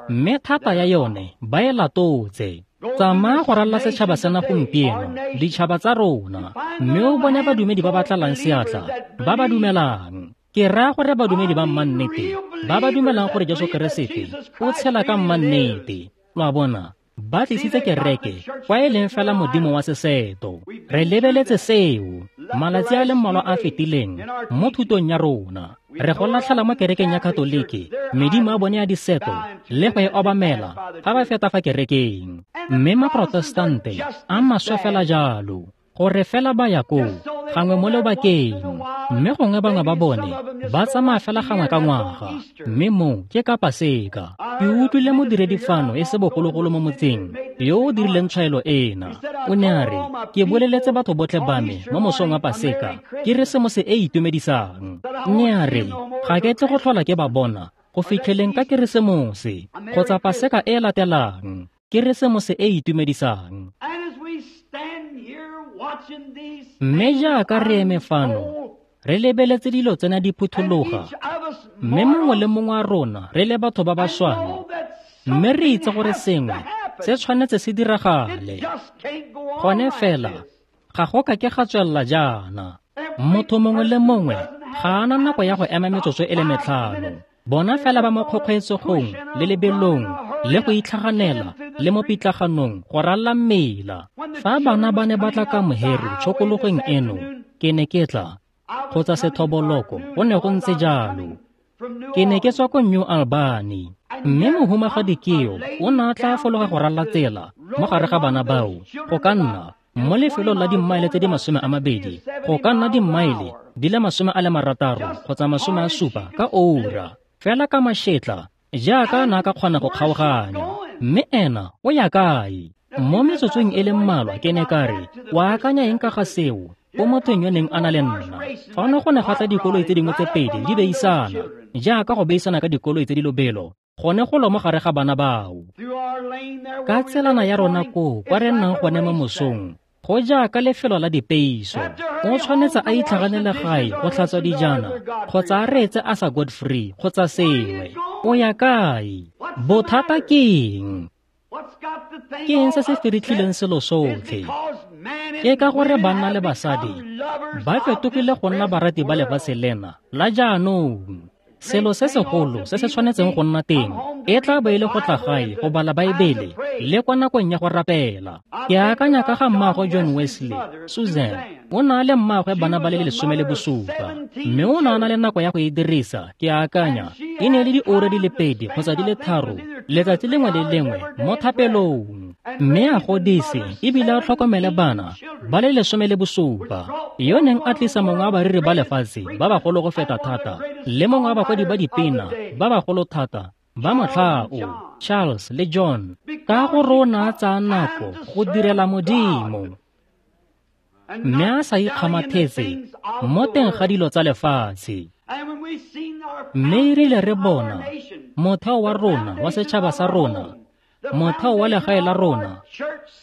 mme thata ya yone ba e latotse. Tsamaya go ralala setšhaba sena gompieno, ditšhaba tsa rona, mme o bone badumedi ba ba tlalang seatla, ba ba dumelang. Ke raya gore badumedi ba mmannete, ba ba dumelang gore Jesu Keresete o tshela ka mmannete. Lo a bona, ba tlisitse kereke kwa e leng fela Modimo wa seseto. Re lebeletse seo malatsi a le mmalwa a fetileng mo thutong ya rona. Re go latlhela mo kerekeng ya Katoliki medimo ya bone ya diseto le go e obamela fa ba feta fa kerekeng. Mme Maprotestante a maswe fela jalo, gore fela ba ya koo gangwe mo lobakeng, mme gongwe bangwe ba bone ba tsamaya fela gangwe ka ngwaga, mme moo ke ka Paseka. Ke utlwile modiredi fano e se bogologolo mo motseng yo o dirileng tshwaelo ena. O ne a re, ke boleletse batho botlhe ba me mo mosong wa Paseka Keresemose e itumedisang. Ne a re, ga ke tle go tlhola ke ba bona go fitlheleng ka Keresemose kgotsa Paseka e latelang, Keresemose e itumedisang. Mme jaaka re eme fano, re lebeletse dilo tsena di phuthologa, mme mongwe le mongwe wa rona re le batho ba ba swang, mme re itse gore sengwe se tshwanetse se diragale. Gone fela ga go ka ke ga tswelela jaana. Motho mongwe le mongwe ga a na nako ya go ema metsotso e le 5. Bona fela ba mo kgokgoetsegong le lebelong le go itlhaganela le mo pitlaganong go ralla mmela. Fa bana ba ne ba tla ka moheru tshokologong eno, ke ne ke tla kgotsa sethoboloko, go ne go ntse jalo. Ke ne ke tswa ko New Albany, mme mohumagadi Keo o ne a tla fologa go ralla tsela mo gare ga bana bao, go ka nna mo lefelong la dimmaele tse di 20, go ka nna dimmaele di le 60 kgotsa 70 ka ura, fela ka mašetla jaaka a ne a ka kgona go kgaoganya. Mme ena o ya kae? Mo metsotsong e le mmalwa ke ne ka re, wa akanya eng ka ga seo? O mothong yo neng a na le nna. Fano go ne ga tla dikoloi tse dingwe tse pedi di beisana, jaaka go beisana ka dikoloi tse di lobelo, gone go lo mo gare ga bana bao. Ka tselana ya rona koo kwa re nnang gone mo mosong, go jaaka lefelo la dipeiso. O tshwanetse a itlhaganele gae go tlhatswa dijana, kgotsa a reetse a sa Godfrey kgotsa sengwe. O ya kae? Bothata ke eng? Ke eng se se feretlhileng selo sotlhe? Ke ka gore banna le basadi ba fetogile go nna barati ba lefatshe lena la jaanong. Selo se segolo se se tshwanetseng go nna teng e tla bo e le go tla gae go bala Baebele le kwa nakong ya go rapela. Ke akanya ka ga mmaagwe John Wesley, Susan. O ne a le mmaagwe bana ba le 17, mme o ne a na le nako ya go e dirisa, ke akanya, e ne e le diura di le 2 kgotsa di le 3 letsatsi lengwe le lengwe mo thapelong, mme a godise ebile a tlhokomele bana ba le 17, yo neng a tlisa mongwe wa bareri ba lefatshe ba bagolo go feta thata le mongwe wa bakwadi ba dipina ba bagolo thata ba motlha o, Charles le John, ka gore o ne a tsaya nako go direla Modimo, mme a sa ikgamathetse mo teng ga dilo tsa lefatshe. Mme e rile re bona motheo wa rona wa setšhaba sa rona, motheo wa legae la rona,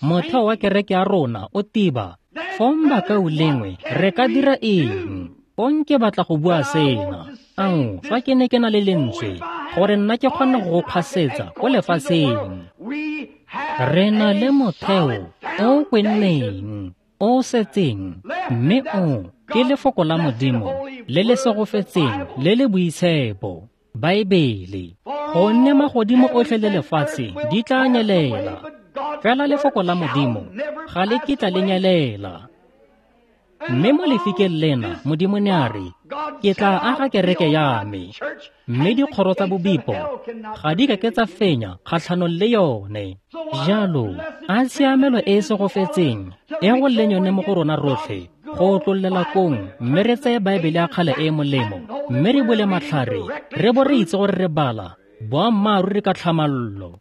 motheo wa kereke ya rona o tiba, fong bakaulengwe re ka dira eng? Fong ke batla go bua sena. Ao, fa ke ne ke na le lentswe, gore nna ke kgone go go kgwasetsa ko lefatsheng. Re na le motheo o o kwenneng, o o setseng, mme o ke lefoko la Modimo le le segofetseng le le boitshepo, Baebele. Gonne magodimo otlhe le lefatshe di tla nyelela, fela lefoko la Modimo ga le kitla le nyelela. Mme mo lefikeng lena Modimo ne a re, ke tla aga kereke ya me, mme dikgoro tsa bobipo ga di ka ke tsa fenya kgatlhanong le yone. Jalo, a tshiamelo e e segofetseng e go leng yone mo go rona rotlhe go otlollela kong, mme re tseye Baebele ya kgale e e molemo, mme re bule matlhare, re bo re itse gore re bala boammaaruri ka tlhamallo.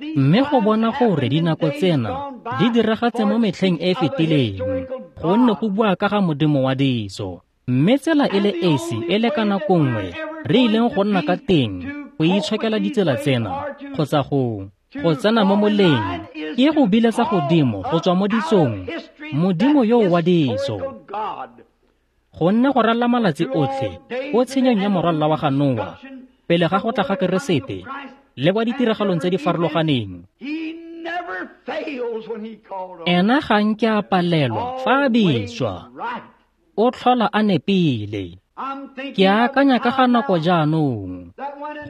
Mme go bona gore dinako tsena di diragatse mo metlheng e e fetileng, gonne go bua ka ga Modimo wa ditso, mme tsela e le esi e le ka nako nngwe re ileng go nna ka teng go itshokela ditsela tsena kgotsa go tsena mo moleng ke go biletsa godimo go tswa mo ditsong Modimo yo wa ditso. Gonne go ralla malatsi otlhe ko tshenyong ya morwalela wa ga Noa pele ga go tla ga Keresete le kwa ditiragalong tse di farologaneng, ena ga nke a palelwa fa a bitswa, o tlhola a nepile. Ke akanya ka ga nako jaanong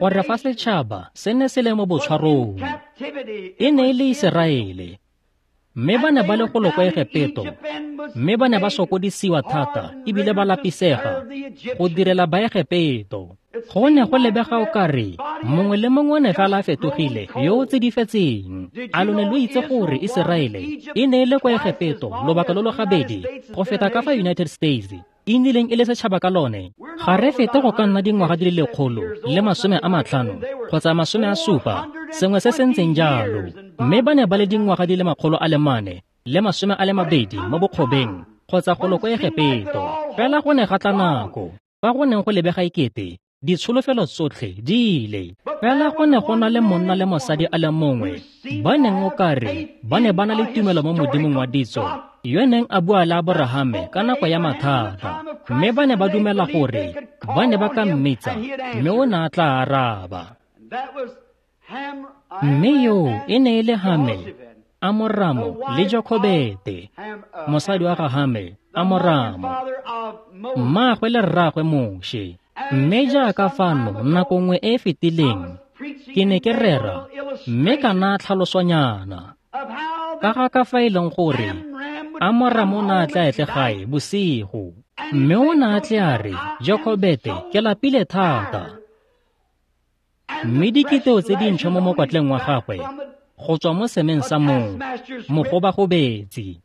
gore fa setšhaba se ne se le mo botshwarong, e ne e le Iseraele, mme ba ne ba le golo kwa Egepeto, mme ba ne ba sokodisiwa thata ebile ba lapisega go direla Baegepeto. Go ne go lebega o kare mongwe le mongwe o ne fela a fetogile yo o tsidifetseng. A lo ne lo itse gore Iseraele e ne e le kwa Egepeto lobaka lo lo gabedi go feta ka fa United States e nnileng e le setšhaba ka lone? Ga re fete go ka nna dingwaga di le 150 kgotsa 70, sengwe se se ntseng jalo, mme ba ne ba le dingwaga di le 422 mo bokgobeng kgotsa golo kwa Egepeto. Fela go ne ga tla nako fa go neng go lebega ekete ditsholofelo tsotlhe di ile, fela go ne go na le monna le mosadi a le mongwe ba neng o kare ba ne ba na le tumelo mo Modimong wa ditso, yo neng a bua le Aborahame ka nako ya mathata, mme ba ne ba dumela gore ba ne ba ka mmitsa, mme o ne a tla araba. Mme yo e ne e le Hame, Amoramo le Jokobete, mosadi wa ga Hame, Amoramo, mmaagwe le rraagwe Moshe. Mme jaaka fano nako nngwe e e fetileng ke ne ke rera, mme ka naya tlhalosonyana ka ga ka fa e leng gore Amoramo o ne a tla etle gae bosigo, mme o ne a tle a re, Jokobete, ke lapile thata. Mme dikiteo tse dintšhwa mo mokwatleng wa gagwe go tswa mo semeng sa mong mogobagobetsi.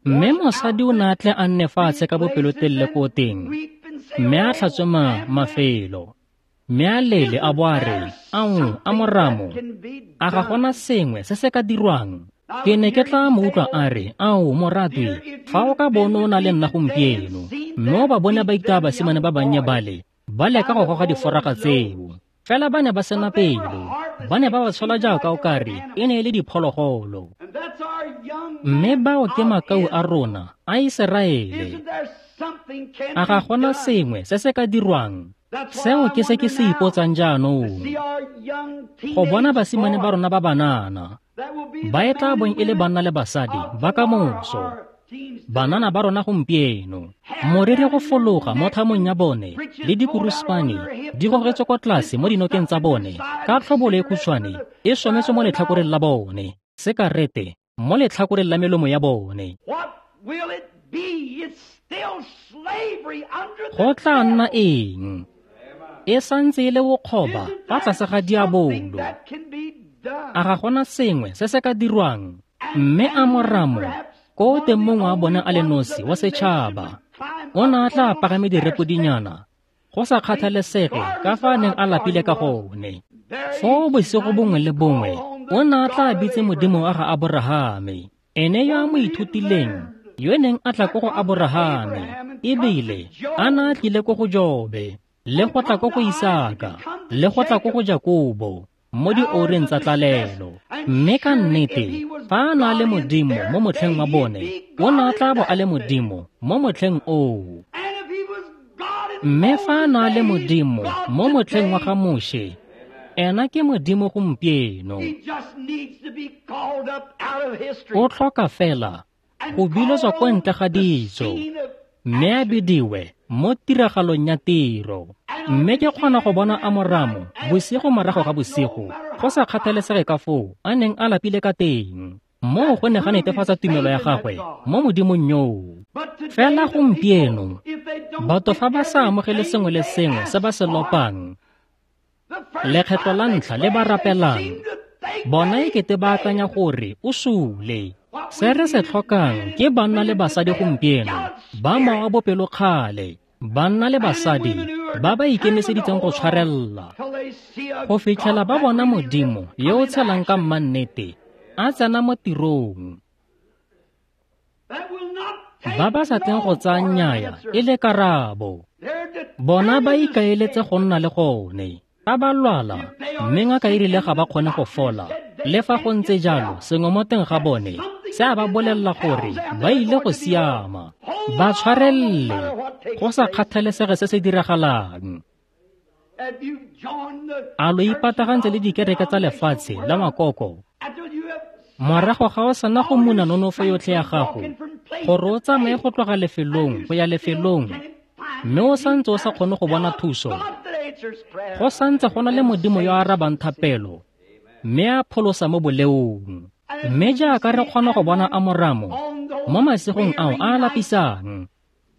Mme mosadi o ne a tle a nne fatshe ka bopelotelele ko teng, mme a tlhatswe mafelo, mme a lele a bo a re, Ao, Amoramo, a ga gona sengwe se se ka dirwang? Ke ne ke tla mo utlwa a re, Ao, moratwi, fa o ka bone o na le nna gompieno, mme o ba bone ba itaya basimane ba bannye bale, ba leka go goga diforaga tseo. Fela ba ne ba sena pelo, ba ne ba ba tshola jaaka o kare e ne e le diphologolo. Mme bao ke makau a rona a Iseraele. A ga gona sengwe se se ka dirwang? Seo ke se ke se ipotsang jaanong. Go bona basimane ba rona ba banana, ba e tla bong e le banna le basadi ba ka moso, banana ba rona gompieno, moriri go fologa mo thamong ya bone le dikuruspane di gogetswe kwa tlase mo dinokeng tsa bone ka tlhobolo e khutshwane e sometswe mo letlhakoreng la bone, sekarete mo letlhakoreng la melomo ya bone. Go tla nna eng? E santse e le bokgoba fa tlase ga diabolo. A ga gona sengwe se se ka dirwang? Mme Amoramo, ko teng mongwe wa bone a le nosi wa setšhaba, o ne a tla pagame direpodinyana go sa kgathalesege ka fa a neng a lapile ka gone. Foo bosigo bongwe le bongwe o ne a tla bitse Modimo wa ga Aborahame, ene yo a mo ithutileng, yo neng a tla ko go Aborahame, ebile a na a tlile ko go Jobe, le go tla ko go Isaka, le go tla ko go Jakobo mo dioreng tsa tlalelo. Mme ka nnete, fa a na le Modimo mo motlheng wa bone, o ne a tla bo a le Modimo mo motlheng oo. Mme fa a na le Modimo mo motlheng wa ga Moshe, ena ke Modimo gompieno. O tlhoka fela go biletswa kwa ntle ga ditso, mme a bidiwe mo tiragalong ya tiro. Mme ke kgona go bona Amoramo bosigo morago ga bosigo, go sa kgathalesege ka foo a neng a lapile ka teng. Moo go ne ga netefatsa tumelo ya gagwe mo Modimong yoo. Fela gompieno, batho fa ba sa amogele sengwe le sengwe se ba se lopang, lekgetlo la ntlha le ba rapelang, bona e kete ba akanya gore o sule. Se re se tlhokang ke banna le basadi gompieno ba mowa bopelokgale, banna le basadi ba ba ikemiseditseng go tshwarella go fitlhela ba bona Modimo yo o tshelang ka mmannete a tsena mo tirong, ba ba sa tleng go tsaya nnyaya e le karabo. Bona ba ikaeletse go nna le gone. Fa ba lwala, mme ngaka e rile ga ba kgone go fola, le fa go ntse jalo sengwe mo teng ga bone se a ba bolelela gore ba ile go siama. Ba tshwarelle go sa kgathalesege se se diragalang. A lo ipatagantse le dikereke tsa lefatshe la makoko morago ga o sena go muna nonofo yotlhe ya gago gore o tsamaye go tloga lefelong go ya lefelong, mme o santse o sa kgone go bona thuso, go santse go na le Modimo yo a arabang thapelo mme a pholosa mo boleong. Mme jaaka re kgona go bona Amoramo mo masigong ao a lapisang,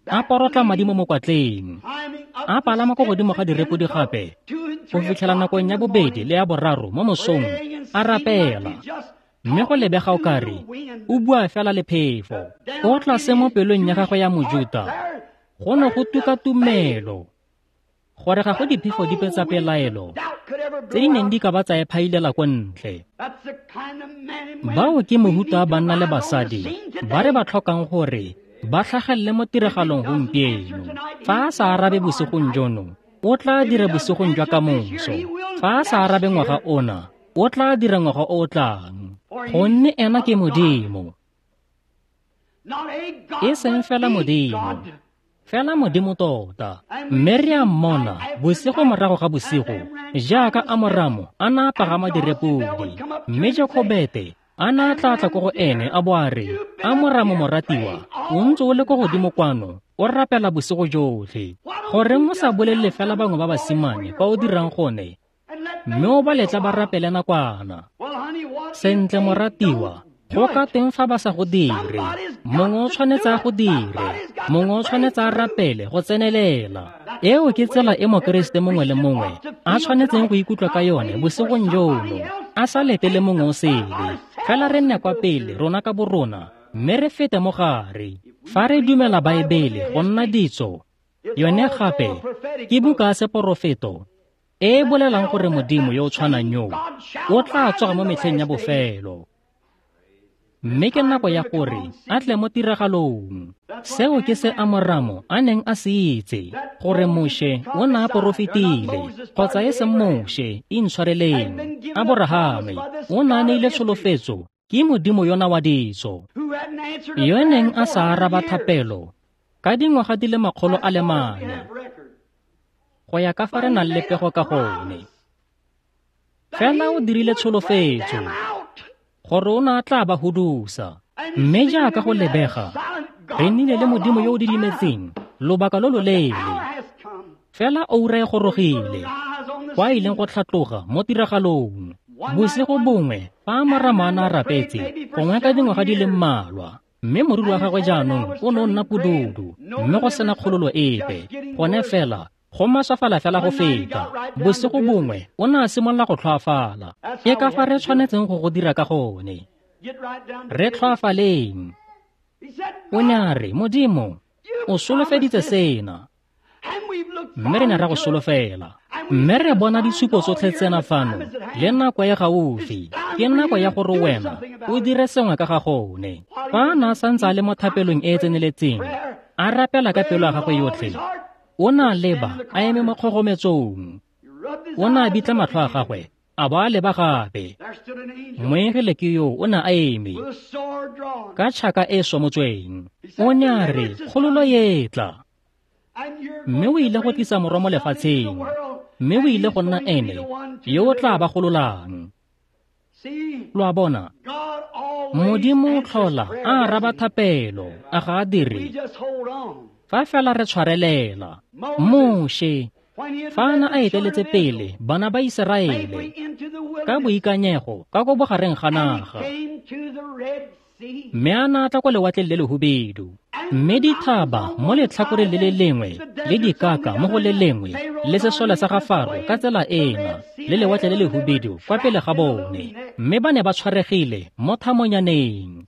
a porotla madi mo mokwatleng, a palama ko godimo ga direpodi gape go fitlhela nakong ya bobedi le ya boraro mo mosong, a rapela, mme go lebega o kare o bua fela le phefo. Ko tlase mo pelong ya gagwe ya Mojuta go ne go tuka tumelo gore ga go diphefo dipe tsa pelaelo tse di neng di ka ba tsa e phailela ko ntle. Bao ke mohuta wa banna le basadi ba re ba tlhokang gore ba tlhagelele mo tiragalong gompieno. Fa a sa arabe bosigong jono, o tla dira bosigong jwa kamoso. Fa a sa arabe ngwaga ona, o tla dira ngwaga o o tlang, gonne ena ke Modimo. E seng fela Modimo, fela Modimo tota. Mme re a mmona bosigo morago ga bosigo jaaka Amoramo a na a pagama direpodi, mme Jakobete a na a tla tla ko go ene a bo a re, Amoramo moratiwa, o ntse o le ko godimo kwano o rapela bosigo jotlhe. Goreng o sa bolelele fela bangwe ba basimane kwa o dirang gone, mme o ba letla ba rapele nakwana? Sentle moratiwa, go ka teng fa ba sa go dire, mongwe o tshwanetse a go dire, mongwe o tshwanetse a rapele go tsenelela. Eo ke tsela e Mokeresete mongwe le mongwe a tshwanetseng go ikutlwa ka yone bosigong jono, a sa letele mongwe o sele. Fela re nne kwa pele rona ka borona, mme re fete mo gare. Fa re dumela Baebele go nna ditso, yone gape ke buka ya seporofeto e e bolelang gore Modimo yo o tshwanang yo o tla tsoga mo metlheng ya bofelo. Mme ke nako ya gore a tle mo tiragalong. Seo ke se Amoramo a neng a se itse, gore Moshe o ne a porofetile, kgotsa e seng Moshe, intshwareleng, Aborahame o ne a neile tsholofetso ke Modimo yona wa ditso, yo neng a sa araba thapelo ka dingwaga di le 400. go ya ka fa re nang le pego ka gone. Fela o dirile tsholofetso gore o ne a tla ba hudusa. Mme jaaka go lebega, re nnile le Modimo yo o didimetseng lobaka lo loleele. Fela oura e gorogile, kwa a ileng go tlhatloga mo tiragalong. Bosigo bongwe fa Amoramo a ne a rapetse, gongwe ka dingwaga di le mmalwa, mme moriri wa gagwe jaanong o ne o nna pududu, mme go sena kgololo epe, gone fela go maswafala fela go feta. Bosigo bongwe o ne a simolola go tlhoafala. Ke ka fa re tshwanetseng go go dira ka gone. Re tlhoafaleng. O ne a re, Modimo, o solofeditse sena, mme re ne ra go solofela. Mme re bona ditshupo tsotlhe tsena fano, le nako e gaufi. Ke nako ya gore wena o dire sengwe ka ga gone. Fa a ne a santse a le mo thapelong e e tseneletseng, a rapela ka pelo ya gagwe yotlhe, o ne a leba a eme mo kgogometsong. O ne a bitla matlho a gagwe, a bo a leba gape. Moengele ke yo o ne a eme ka tšhaka e e somotsweng. O ne a re, kgololo e tla. Mme o ile go tlisa morwa mo lefatsheng, mme o ile go nna ene yo o tla ba gololang. Lo a bona, Modimo o tlhola a araba thapelo, a ga a dire fa fela re tshwarelela. Moshe, fa a ne a eteletse pele bana ba Iseraele ka boikanyego ka ko bogareng ga naga, mme a ne a tla kwa lewatleng le lehubedu, mme dithaba mo letlhakoreng le le lengwe le dikaka mo go le lengwe, le sesole sa ga Faro ka tsela ena, le lewatle le lehubedu kwa pele ga bone, mme ba ne ba tshwaregile mo thamonyaneng.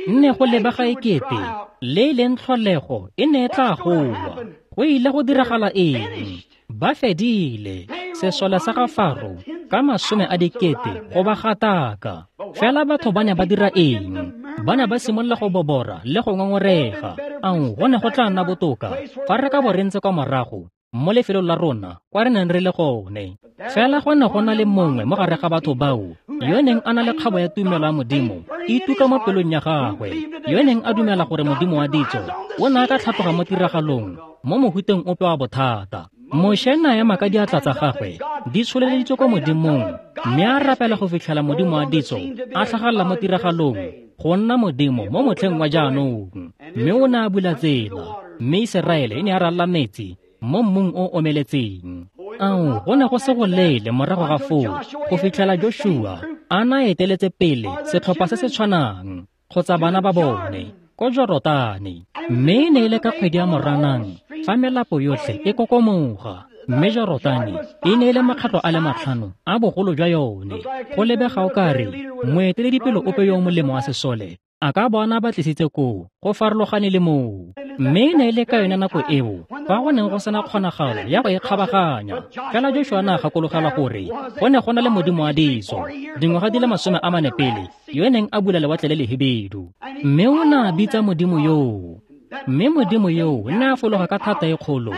Nne go lebega ekete le e leng tlholego e ne e tla goa. Go ile go diragala eng? Ba fedile sesole sa ga Faro ka 10,000 go ba gataka. Fela batho ba ne ba dira eng? Ba ne ba simolola go bobora le go ngongorega. Ao, go ne go tla nna botoka fa re ka bo re ntse kwa morago mo lefelong la rona kwa re neng re le gone. Fela go ne go na le mongwe mo gare ga batho bao yo neng a na le kgabo ya tumelo ya Modimo e tuka mo pelong ya gagwe, yo neng a dumela gore Modimo wa ditso o ne a ka tlhatloga mo tiragalong mo mohuteng ope wa bothata. Moshe ne a ema ka diatla tsa gagwe di tsholeleditswe kwa Modimong, mme a rapela go fitlhela Modimo wa ditso a tlhagelela mo tiragalong go nna Modimo mo motlheng wa jaanong. Mme o ne a bula tsela, mme Iseraele e ne a ralla metsi mo mmung o omeletseng. Ao, go ne go se go leele morago ga foo go fitlhela Joshua a na eteletse pele setlhopha se se tshwanang kgotsa bana ba bone ko Jorotane. Mme e ne e le ka kgwedi ya Moranang fa melapo yotlhe e kokomoga, mme Jorotane e ne e le makgatlho a le 5 a bogolo jwa yone. Go lebega o ka re moeteledipele ope yo o molemo wa sesole a ka bona ba tlisitse koo go farologane le moo. Mme e ne e le ka yone nako eo fa go neng go sena kgonagalo ya go e kgabaganya. Fela Joshua ne a gakologelwa gore go ne go na le Modimo wa ditso dingwaga di le 40 pele yo neng a bula lewatle le lehibidu, mme o ne a bitsa Modimo yoo. Mme Modimo yoo ne a fologa ka thata e kgolo,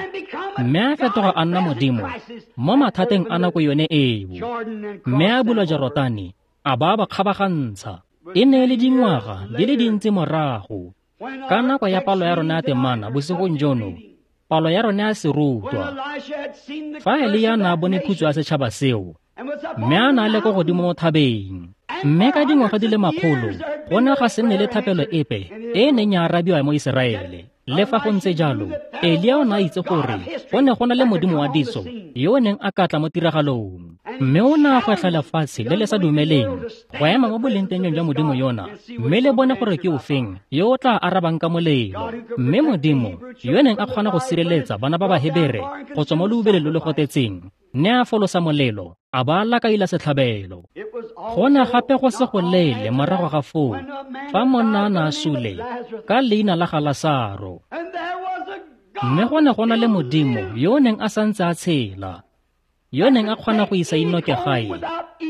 mme a fetoga a nna Modimo mo mathateng a nako yone eo, mme a bula Jorotane a ba ba kgabagantsha. E ne e le dingwaga di le dintsi morago, ka nako ya palo ya rona ya temana bosigong jono, palo ya rona ya serutwa, fa Elia a ne a bone khutso ya setšhaba seo, mme a ne a le ko godimo mo thabeng. Mme ka dingwaga di le 100 go ne ga se nne le thapelo epe e e neng ya arabiwa mo Iseraele. Le fa go ntse jalo, Elia o ne a itse gore go ne go na le Modimo wa ditso yo o neng a ka tla mo tiragalong, mme o ne a gwetlha lefatshe le le sa dumeleng go ema mo bolengtengeng jwa Modimo yona, mme le bone gore ke ofeng yo o tla arabang ka molelo. Mme Modimo yo neng a kgona go sireletsa bana ba Bahebere go tswa mo leubeleng lo le gotetseng, ne a folosa molelo a ba lakaila setlhabelo. Go ne gape go se go leele morago ga foo fa monna a ne a sule ka leina la ga Lasaro, mme go ne go na le Modimo yo o neng a santse a tshela, yo neng a kgona go isa Enoke gae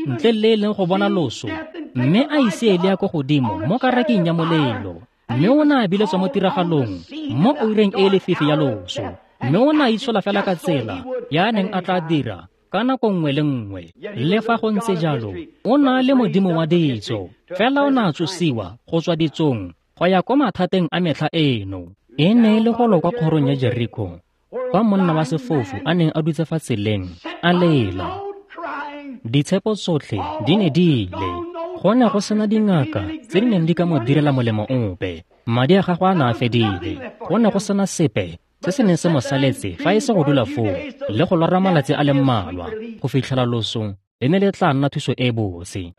ntle le e leng go bona loso, mme a ise Elia ko godimo mo karakeng ya molelo. Mme o ne a biletswa mo tiragalong mo oureng e lefifi ya loso, mme o ne a itshola fela ka tsela ya neng a tla dira ka nako nngwe le nngwe. Le fa go ntse jalo, o na le Modimo wa ditso, fela o ne a tsosiwa go tswa ditsong go ya ko mathateng a metlha eno. E ne e le golo kwa kgorong ya Jeriko, kwa monna wa sefofu a neng a dutse fa tseleng a lela. Ditshepo tsotlhe di ne di ile. Go ne go sena dingaka tse di neng di ka mo direla molemo ope. Madi a gagwe a ne a fedile. Go ne go sena sepe se se neng se mo saletse fa e se go dula foo le go lora malatsi a le mmalwa go fitlhela loso le ne le tla nna thuso e bose.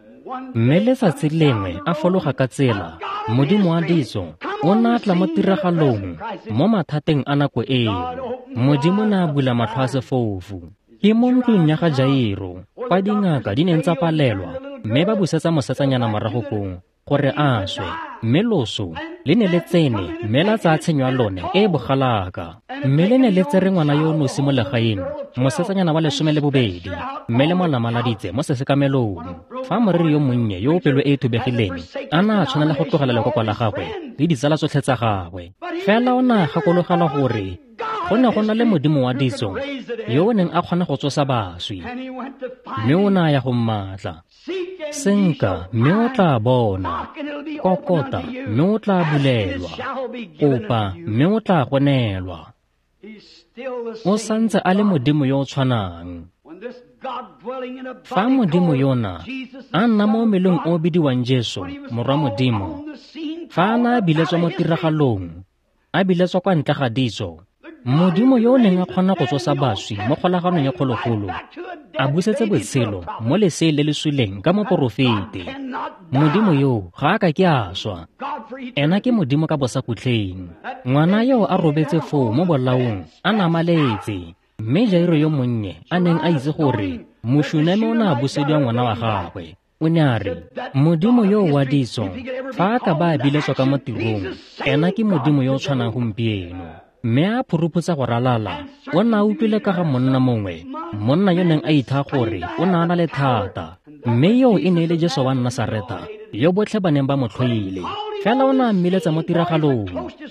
Mme letsatsi lengwe a fologa ka tsela, Modimo wa ditso o ne a tla mo tiragalong mo mathateng a nako eo. Modimo ne a bula matlho a sefofu. Ke mo ntlong ya ga Jairo, kwa dingaka di neng tsa palelwa mme ba busetsa mosetsanyana morago koo gore a swe, mme loso le ne le tsene mme la tsaya tshenyo ya lone e e bogalaka. Mme le ne le tsere ngwana yo o nosi mo legaeng, mosetsanyana wa 12, mme le mo lamaladitse mo sesekamelong. Fa moreri yo monnye yo o pelo e e thubegileng a ne a tshwanela go tlogela lekoko la gagwe le ditsala tsotlhe tsa gagwe, fela o ne a gakologelwa gore go ne go na le Modimo wa ditso yo o neng a kgona go tsosa baswi, mme o ne a ya go mmatla. Senka mme o tla bona, kokota mme o tla bulelwa, kopa mme o tla go neelwa. O santse a le Modimo yo o tshwanang. Fa Modimo yona a nna mo mmeleng o bidiwang Jesu, Morwa Modimo, fa a ne a biletswa mo tiragalong, a biletswa kwa ntle ga ditso, Modimo yo o neng a kgona go tsosa baswi mo kgolaganong ya kgologolo, a busetse botshelo mo leseeng le le suleng ka moporofeti. Modimo yo ga a ka ke a swa. Ena ke Modimo ka bosakhutleng. Ngwana yo a robetse foo mo bolaong a namaletse, mme Jairo yo monnye a neng a itse gore Mošuneme o ne a busediwa ngwana wa gagwe, o ne a re, Modimo yo wa ditso, fa a ka ba a biletswa ka mo tirong, ena ke Modimo yo o tshwanang gompieno. Mme a phuruphutsa go ralala, o ne a utlwile ka ga monna mongwe, monna yo neng a ithaa gore o ne a na le thata, mme yo e ne e le Jesu wa Nasareta, yo botlhe ba neng ba mo tlhoile. Fela o ne a mmiletsa mo tiragalong,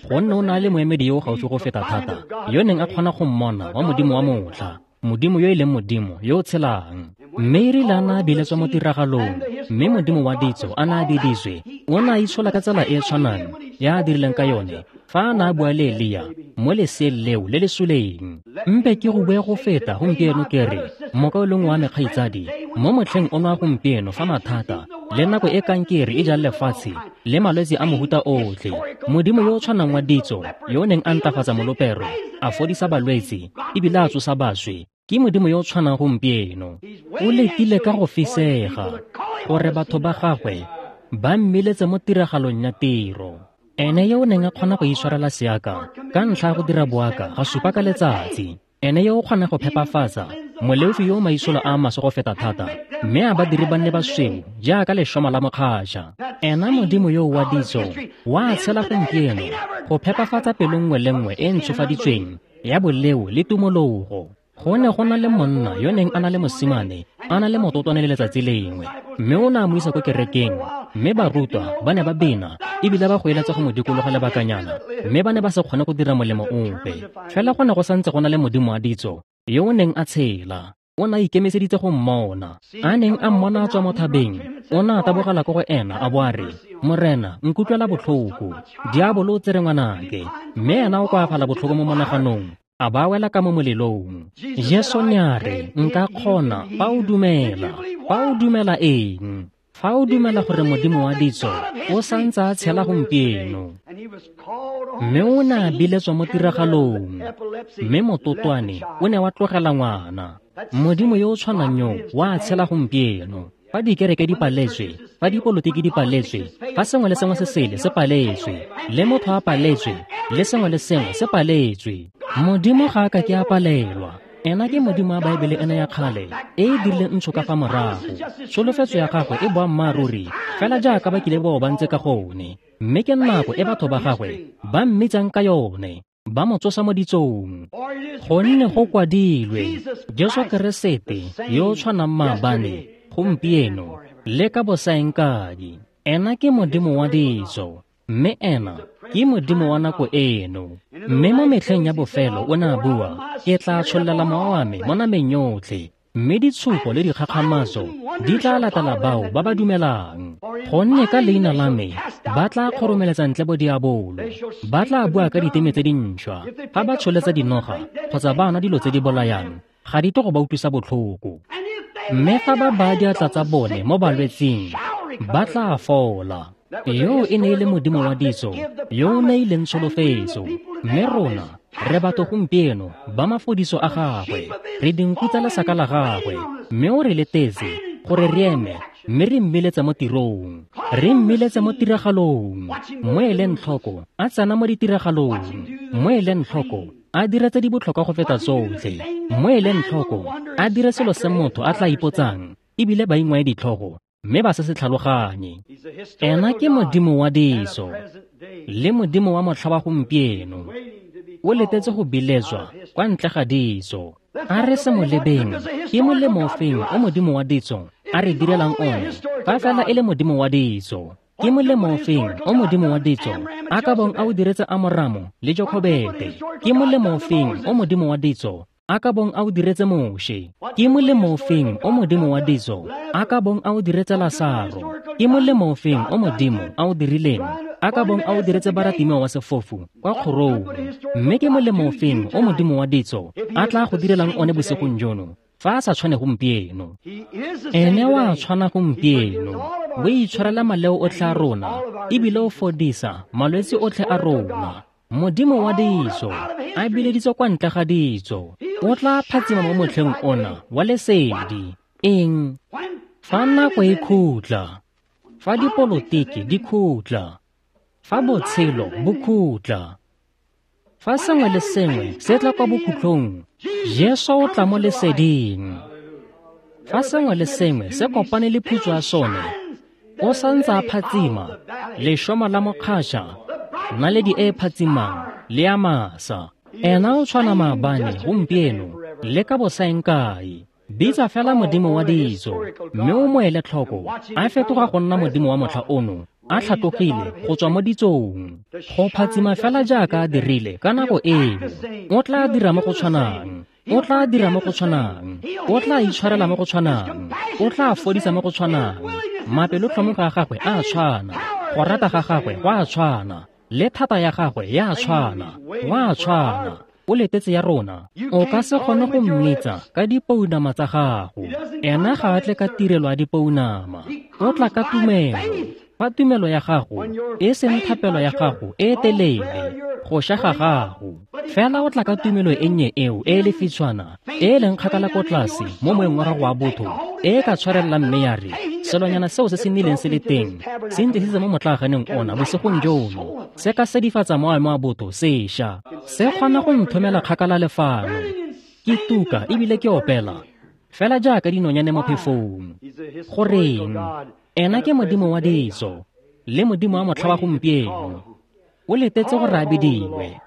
gonne o ne a le moemedi yo o gaufi go feta thata, yo neng a kgona go mmona wa Modimo wa motlha, Modimo yo e leng Modimo yo o tshelang. Mme e rile a ne a biletswa mo tiragalong, mme Modimo wa ditso a ne a biditswe, o ne a itshola ka tsela e e tshwanang ya a dirileng ka yone fa a ne a bua le Elia mo leseeng leo le le suleng. Mpe ke go bue go feta gompieno ke re, mokaulengwe wa me kgaitsadi, mo motlheng ono wa gompieno fa mathata le nako e kankere e jang lefatshe le malwetse a mohuta otlhe, Modimo yo o tshwanang wa ditso yo o neng a ntlafatsa molopero, a fodisa balwetse ebile a tsosa baswi, ke Modimo yo o tshwanang gompieno. O letile ka go fisega gore batho ba gagwe ba mmiletse mo tiragalong ya tiro. Ene yo o neng a kgona go itshwarela seaka ka ntlha ya go dira boaka ga supa ka letsatsi, ene yo o kgona go phepafatsa moleofi yo o maitsholo a maswe go feta thata, mme a badiri ba nne basweu jaaka lešoma la mokgatšha. Ena Modimo yo wa ditso wa tshela gompieno go phepafatsa pelo nngwe le nngwe e ntshofaditsweng ya boleo le tumologo. Go ne go na le monna yo neng a na le mosimane, a na le mototwane le letsatsi lengwe, mme o ne a mo isa ko kerekeng, mme barutwa ba ne ba bina ebile ba go eletsa go mo dikologa lebakanyana, mme ba ne ba se kgone go dira molemo ope. Fela go ne go santse go na le Modimo wa ditso yo o neng a tshela. O ne a ikemiseditse go mmona. A neng a mmona a tswa mo thabeng, o ne a tabogela ko go ena a bo a re, Morena, nkutlwela botlhoko. Diabolo o tsere ngwanake, mme ena o koafala botlhoko mo monaganong, a ba wela ka mo molelong. Jesu ne a re, nka kgona fa o dumela. Fa o dumela eng? Fa o dumela gore Modimo wa ditso o santse a tshela gompieno. Mme o ne a biletswa mo tiragalong, mme mototwane o ne wa tlogela ngwana. Modimo yo o tshwanang yo wa tshela gompieno. Fa dikereke di paletswe, fa dipolotiki di paletswe, fa sengwe le sengwe se sele se paletswe, le motho a paletswe, le sengwe le sengwe se paletswe, Modimo ga a ka ke a palelwa. Ena ke Modimo wa Baebele ena ya kgale e e dirileng ntsho ka fa morago. Tsholofetso ya gagwe e boammaaruri fela jaaka ba kile bao ba ntse ka gone, mme ke nako e batho ba gagwe ba mmitsang ka yone, ba mo tsosa mo ditsong. Gonne go kwadilwe, Jesu Keresete yo o tshwanang maabane, gompieno le ka bosaengkadi. Ena ke Modimo wa ditso, mme ena ke Modimo wa nako eno. Mme mo metlheng ya bofelo o ne a bua, ke tla tshollela mowa wa me mo nameng yotlhe, Mme ditshupo le dikgakgamatso di tla latela bao ba ba dumelang. Gonne ka leina la me ba tla kgoromeletsa ntle bodiabolo, ba tla bua ka diteme tse dintšhwa. Fa ba tsholetsa dinoga kgotsa ba nwa dilo tse di bolayang, ga di tle go ba utlwisa botlhoko. Mme fa ba baya diatla tsa bone mo balwetsing, ba tla fola. Yo e ne e le Modimo wa ditso yo o neileng tsholofetso, mme rona re batho gompieno ba mafodiso a gagwe, re dinku tsa lesaka la gagwe, mme o re letetse gore re eme mme re mmiletsa mo tirong, re mmiletsa mo tiragalong. Mo eleng tlhoko a tsena mo ditiragalong, mo eleng tlhoko a dira tse di botlhokwa go feta tsotlhe, mo eleng tlhoko a dire selo se motho a tla ipotsang ebile ba ingwae ditlhogo mme ba se se tlhaloganye. Ena ke Modimo wa ditso le Modimo wa motlha wa gompieno. O letetse go biletswa kwa ntle ga ditso. A re se mo lebeng, ke molemo ofeng o Modimo wa ditso a re direlang one fa fela e le Modimo wa ditso? Ke molemo ofeng o Modimo wa ditso a ka bong a o diretse Amoramo le Jokhobete? Ke molemo ofeng o Modimo wa ditso a ka bong a o diretse Moshe? Ke molemo ofeng o Modimo wa ditso a ka bong a o diretse Lasaro? Ke molemo ofeng o Modimo a o dirileng a ka bong a o diretse Baratimeo wa sefofu kwa kgorong? Mme ke molemo ofeng o Modimo wa ditso a tla go direlang one bosigong jono fa a sa tshwane gompieno? Ene wa tshwana gompieno. O itshwarela maleo otlhe a rona ebile o fodisa malwetse otlhe a rona. Modimo wa ditso a bileditswe kwa ntle ga ditso, o tla phatsima mo motlheng ona wa lesedi. Eng? Fa nako e khutla, fa dipolotiki di khutla, fa botshelo bo khutla, fa sengwe le sengwe se tla kwa bokhutlong, Jesu o tla mo leseding. Fa sengwe le sengwe se kopane le phutso ya sone, o santse a phatsima lešoma la mokgaša, naledi e phatsimang le ya masa. Ena o tshwana maabane, gompieno le ka bosaeng kae. Bitsa fela Modimo wa ditso mme o mo ele tlhoko a fetoga go nna Modimo wa motlha ono, a tlhatlogile go tswa mo ditsong. Go phatsima fela jaaka a dirile ka nako eo, o tla dira mo go tshwanang, o tla dira mo go tshwanang, o tla itshwarela mo go tshwanang, o tla fodisa mo go tshwanang. Mapelotlhomogo a gagwe a tshwana, go rata ga gagwe go a tshwana, le thata ya gagwe ya tshwana, wa tshwana. O letetse ya rona. O ka se kgone go mmitsa ka dipounama tsa gago. Ena ga a tle ka tirelo ya dipounama, o tla ka tumelo. Fa tumelo ya gago e seng thapelo ya gago e telele, go sha ga gago, fela o tla ka tumelo e nnye eo e lefitshwana e leng kgakala ko tlase mo moeng wa gago wa botho, e ka tshwarelelang mme ya re selonyana seo se se nnileng se le teng se ntlisitse mo motlaaganeng ona bosigong jono, se ka sedifatsa moamo wa botho sešwa, se kgona go nthomela kgakala lefano. Ke tuka ebile ke opela fela jaaka dinonyane mo phefong. Goreng? Ena ke Modimo wa ditso le Modimo wa motlha wa gompieno. O letetse gore a bidiwe.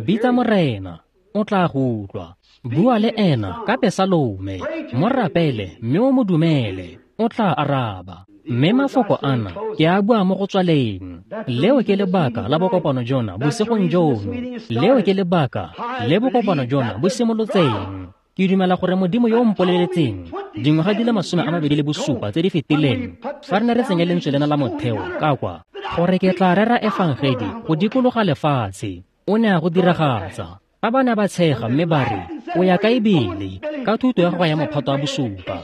Bitsa Morena, o tla go utlwa. Bua le ena ka pesalome, mo rapele mme o mo dumele, o tla araba. Mme mafoko ana ke a bua mo go tswaleng. Leo ke lebaka la bokopano jona bosigong jono. Leo ke lebaka le bokopano jona bo simolotseng. Ke dumela gore Modimo yo o mpoleletseng dingwaga di le 27 tse di fetileng, fa re ne re tsenya lentswe lena la motheo ka kwa, gore ke tla rera efangedi go dikologa lefatshe, o ne a go diragatsa. Fa ba ne ba tshega mme ba re, o ya kae Bile ka thuto ya gago ya mophato wa bosupa?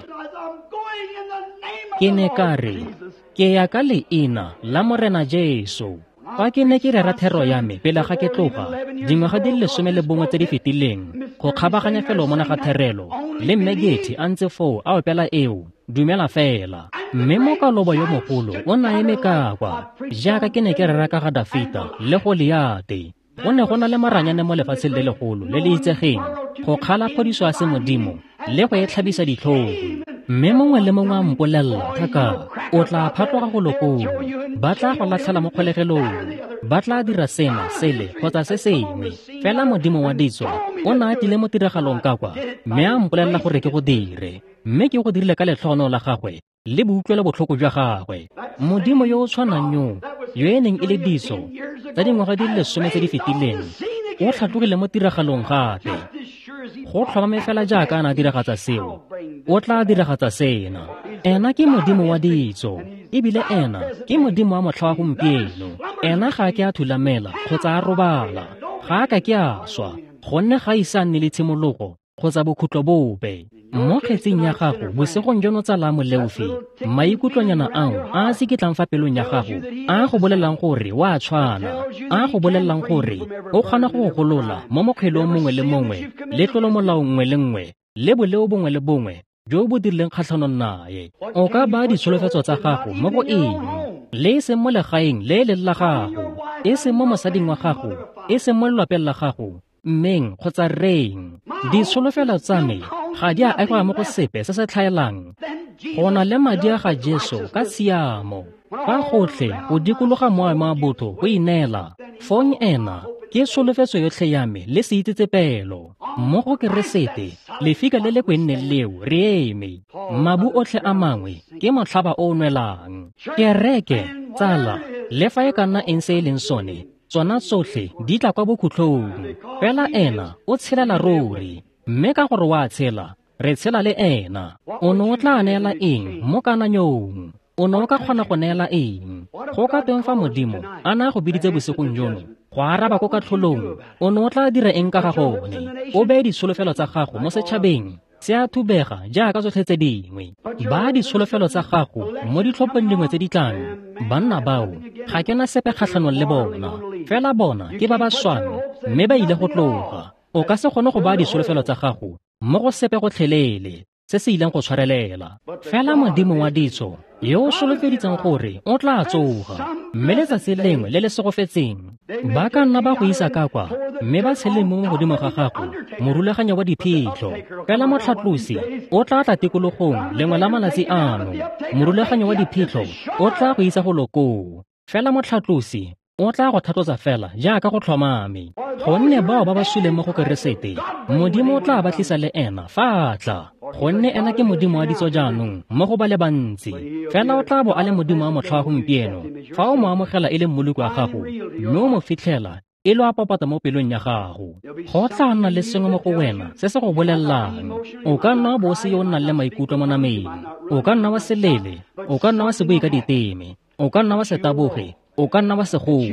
Ke ne ka re, ke ya ka leina la Morena Jesu. Fa ke ne ke rera thero ya me pele ga ke tloga dingwaga di le 11 tse di fetileng, go kgabaganya felo mo naga therelo le mme Getty a ntse foo a opela eo, Dumela Fela. Mme mokaloba yo mogolo o na eme ka kwa, jaaka ke ne ke rera ka ga Dafita le Goliate. Go ne go na le maranyane mo lefatsheng le legolo le le itsegeng go kgala phodiso ya semodimo le go e tlhabisa ditlhong. Mme mongwe le mongwe a mpolelela thaka, o tla phatloga go lokong, ba tla go latlhela mo kgolegelong, ba tla dira sena, sele kgotsa se sengwe. Fela Modimo wa ditso o ne a tlile mo tiragalong ka kwa mme a mpolelela gore ke go dire, mme ke go dirile ka letlhogono la gagwe le boutlwelo botlhoko jwa gagwe. Modimo yo o tshwanang yo, yo e neng e le ditso tsa dingwaga di le 10 tse di fetileng, o tlhatlogile mo tiragalong gape. Go tlhomame fela jaaka a ne a diragatsa seo, o tla diragatsa sena. Ena ke Modimo wa ditso, ebile ena ke Modimo wa motlha wa gompieno. Ena ga a ke a thulamela kgotsa a robala, ga a ka ke a swa, gonne ga a ise a nne le tshimologo kgotsa bokhutlo bope. Mo kgetsing ya gago bosigong jono tsala moleofi, maikutlonyana ao a a se kitlang fa pelong ya gago, a go bolelelang gore o a tshwana, a go bolelelang gore o kgona go go golola mo mokgwelong mongwe le mongwe, le tlolomolao nngwe le nngwe, le boleo bongwe le bongwe jo bo dirileng kgatlhanong nae. O ka baya ditsholofetso tsa gago mo go eng? Le e seng mo legaeng le e leng la gago, e seng mo mosading wa gago, e seng mo lelapeng la gago, mmeng kgotsa rreng. Ditsholofelo tsa me ga di a agiwa mo go sepe se se tlhaelang go na le madi a ga Jesu ka tshiamo. Fa gotlhe go dikologa moemo wa botho go ineela, fong ena ke tsholofetso yotlhe ya me le seitsetsepelo. Mo go Keresete, lefika le le kwenneng leo re eme. Mabu otlhe a mangwe ke motlhaba o o nwelang. Kereke, tsala, le fa e ka nna eng se e leng sone, tsona tsotlhe di tla kwa bokhutlong. Fela ena o tshelela ruri, mme ka gore o a tshela, re tshela le ena. O ne o tla neela eng mo kananyong? O ne o ka kgona go neela eng? Go ka tweng fa Modimo a ne a go biditse bosigong jono go araba ko katlholong? O ne o tla dira eng ka ga gone? O beye ditsholofelo tsa gago mo setšhabeng se a thubega jaaka tsotlhe tse dingwe. Ba ditsholofelo tsa gago mo ditlhopheng dingwe tse di tlang. Banna bao ga ke na sepe kgatlhanong le bona, fela bona ke ba ba swang mme ba ile go tloga. O ka se kgone go baya ditsholofelo tsa gago mo go sepe gotlhelele se se ileng go tshwarelela. Fela Modimo wa ditso yo o solofeditseng gore o tla tsoga, mme letsatsi lengwe le le segofetseng ba ka nna ba go isa ka kwa mme ba tshele mo godimo ga gago morulaganyo wa diphitlho. Fela motlhatlosi o tla tla tikologong lengwe la malatsi ano, morulaganyo wa diphitlho o tla go isa go lokoo. Fela motlhatlosi o tla go tlhatlotsa fela jaaka go tlhomame, gonne bao ba ba suleng mo go Keresete, Modimo o tla ba tlisa le ena fa a tla. Gonne ena ke Modimo wa ditso jaanong mo go ba le bantsi, fela o tla bo a le Modimo wa motlha wa gompieno fa o mo amogela e le mmoloki wa gago mme o mo fitlhela e lo a popota mo pelong ya gago. Go tla nna le sengwe mo go wena se se go bolelelang. O ka nna wa bo o se yo o nnang le maikutlo mo nameng, o ka nna wa se lele, o ka nna wa se bue ka diteme, o ka nna wa se taboge, o ka nna wa se gowe,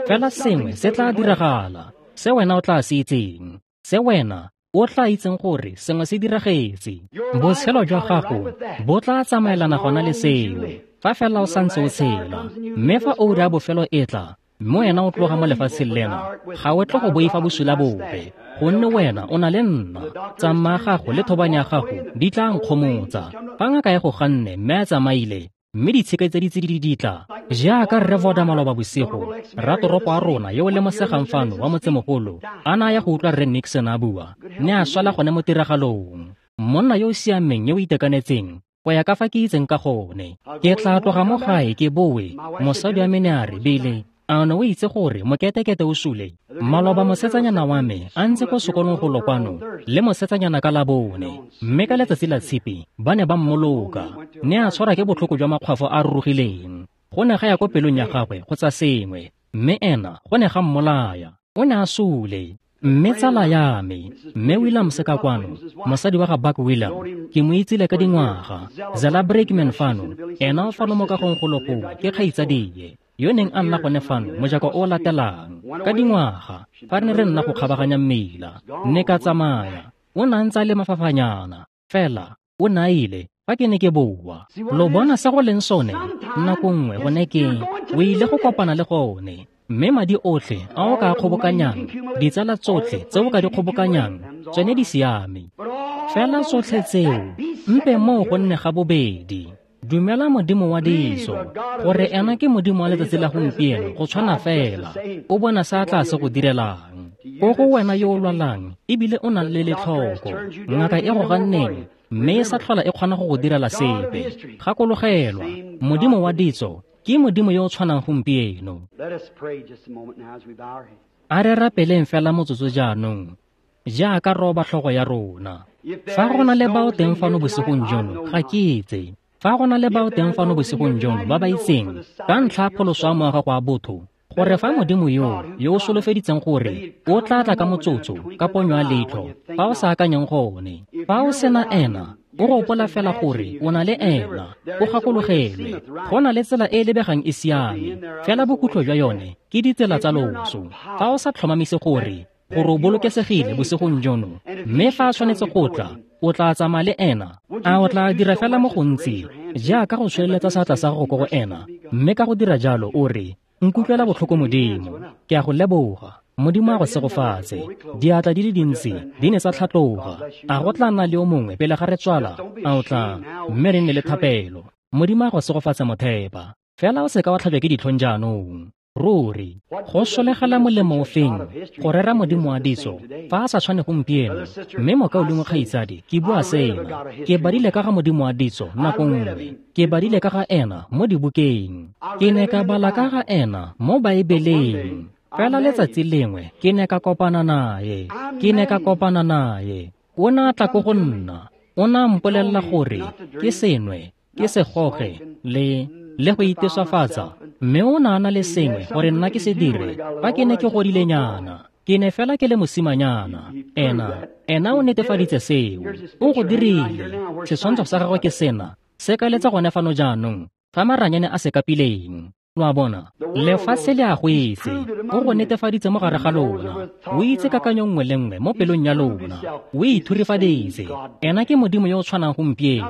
fela sengwe se tla diragala se wena o tla se itseng, se wena o tla itseng gore sengwe se diragetse. Botshelo jwa gago bo tla tsamaelana gona le seo fa fela o santse o tshela. Mme fa oura ya bofelo e tla, mme wena o tloga mo lefatsheng lena, ga o tle go boifa bosula bope, gonne wena o na le nna. Tsamaya gago le thobane ya gago di tla nkgomotsa. Fa ngaka ya go ganne mme a tsamaile, mme ditshika tse di tsididi di tla, jaaka Rre Voda maloba bosigo, ratoropo a rona yo o lemosegang fano wa motsemogolo, a na ya go utlwa Rre Nixon a bua, ne a swala gone mo tiragalong. Monna yo o siameng yo o itekanetseng, go ya ka fa ke itseng ka gone. Ke tla tloga mo gae ke boe, mosadi wa me ne a re, Bile, a ne o itse gore moketekete o sule? Maloba mosetsanyana wa me a ntse ko sekolong golo kwano le mosetsanyana ka Labone, mme ka letsatsi la Tshipi ba ne ba mmoloka. Ne a tshwarwa ke botlhoko jwa makgwafo a rurugileng. Go ne ga ya ko pelong ya gagwe kgotsa sengwe, mme ena go ne ga mmolaya. O ne a sule. Mme tsala ya me, mme Williams ka kwano, mosadi wa ga Buck William, ke mo itsile ka dingwaga. Zela Brakeman fano, ena o fano mo kagong golo gongwe ke kgaitsadie yo neng a nna gone fano mojako o latelang ka dingwaga fa re ne re nna go kgabaganya mmila. Ne ka tsamaya, o ne a ntse a le mafafanyana, fela o ne a ile fa ke ne ke boa. Lo bona se go leng sone? Nako nngwe gone ke o ile go kopana le gone, mme madi otlhe a o ka kgobokanyang, ditsala tsotlhe tse o ka di kgobokanyang, tsone di siame. Fela tsotlhe tseo mpe moo go nne ga bobedi. Dumela Modimo wa ditso, gore ena ke Modimo wa letsatsi la gompieno go tshwana fela. O bona se a tla se go direlang. Ko go wena yo o lwalang ebile o nang le letlhoko, ngaka e go ganneng mme e sa tlhola e kgona go go direla sepe, gakologelwa, Modimo wa ditso ke Modimo yo o tshwanang gompieno. A re rapeleng fela motsotso jaanong, jaaka roba tlhogo ya rona. Fa go na le bao teng fano bosigong jono, ga ke itse. Fa go na le bao teng fano bosigong jono ba ba itseng ka ntlha ya pholoso ya moya wa gago wa botho, Gore fa Modimo yo o solofeditseng gore o tla tla ka motsotso ka ponyo ya leitlho fa o sa akanyeng gone, fa o sena ena, o gopola fela gore o na le ena, o gakologelwe go na le tsela e e lebegang e siame, fela bokhutlo jwa yone ke ditsela tsa loso. Fa o sa tlhomamise gore o bolokesegile bosigong jono, mme fa a tshwanetse go tla, o tla tsamaya le ena. A o tla dira fela mo gontsi jaaka go tsholeletsa seatla sa gago ko go ena, mme ka go dira jalo o re, nkutlwela botlhoko Modimo, ke a go leboga. Modimo a go segofatse. Diatla di le dintsi di ne tsa tlhatloga. A go tla nna le o mongwe pele ga re tswala? A o tla? Mme re nne le thapelo. Modimo a go segofatse mothepa. Fela o seka wa tlhajwa ke ditlhong jaanong. Ruri, go solegela molemo o feng go rera Modimo wa ditso fa a sa tshwane gompieno? Mme mokaulengwe kgaitsadi, ke bua sena, ke badile ka ga Modimo wa ditso nako nngwe, ke badile ka ga ena mo dibukeng, ke ne ka bala ka ga ena mo Baebeleng. Fela letsatsi lengwe ke ne ka kopana naye, O ne a tla ko go nna, o ne a mpolelela gore ke senwe, ke se goge le go iteswafatsa, mme o ne a na le sengwe gore nna ke se dire fa ke ne ke godilenyana. Ke ne fela ke le mosimanyana. Ena o netefaditse seo. O go dirile. Setshwantsho sa gagwe ke sena, se kaletsa gone fano jaanong fa maranyane a se kapileng. Lo a bona, lefatshe le a go itse, o go netefaditse mo gare ga lona, o itse kakanyo nngwe le nngwe mo pelong ya lona, o ithurifaditse. Ena ke Modimo yo o tshwanang gompieno.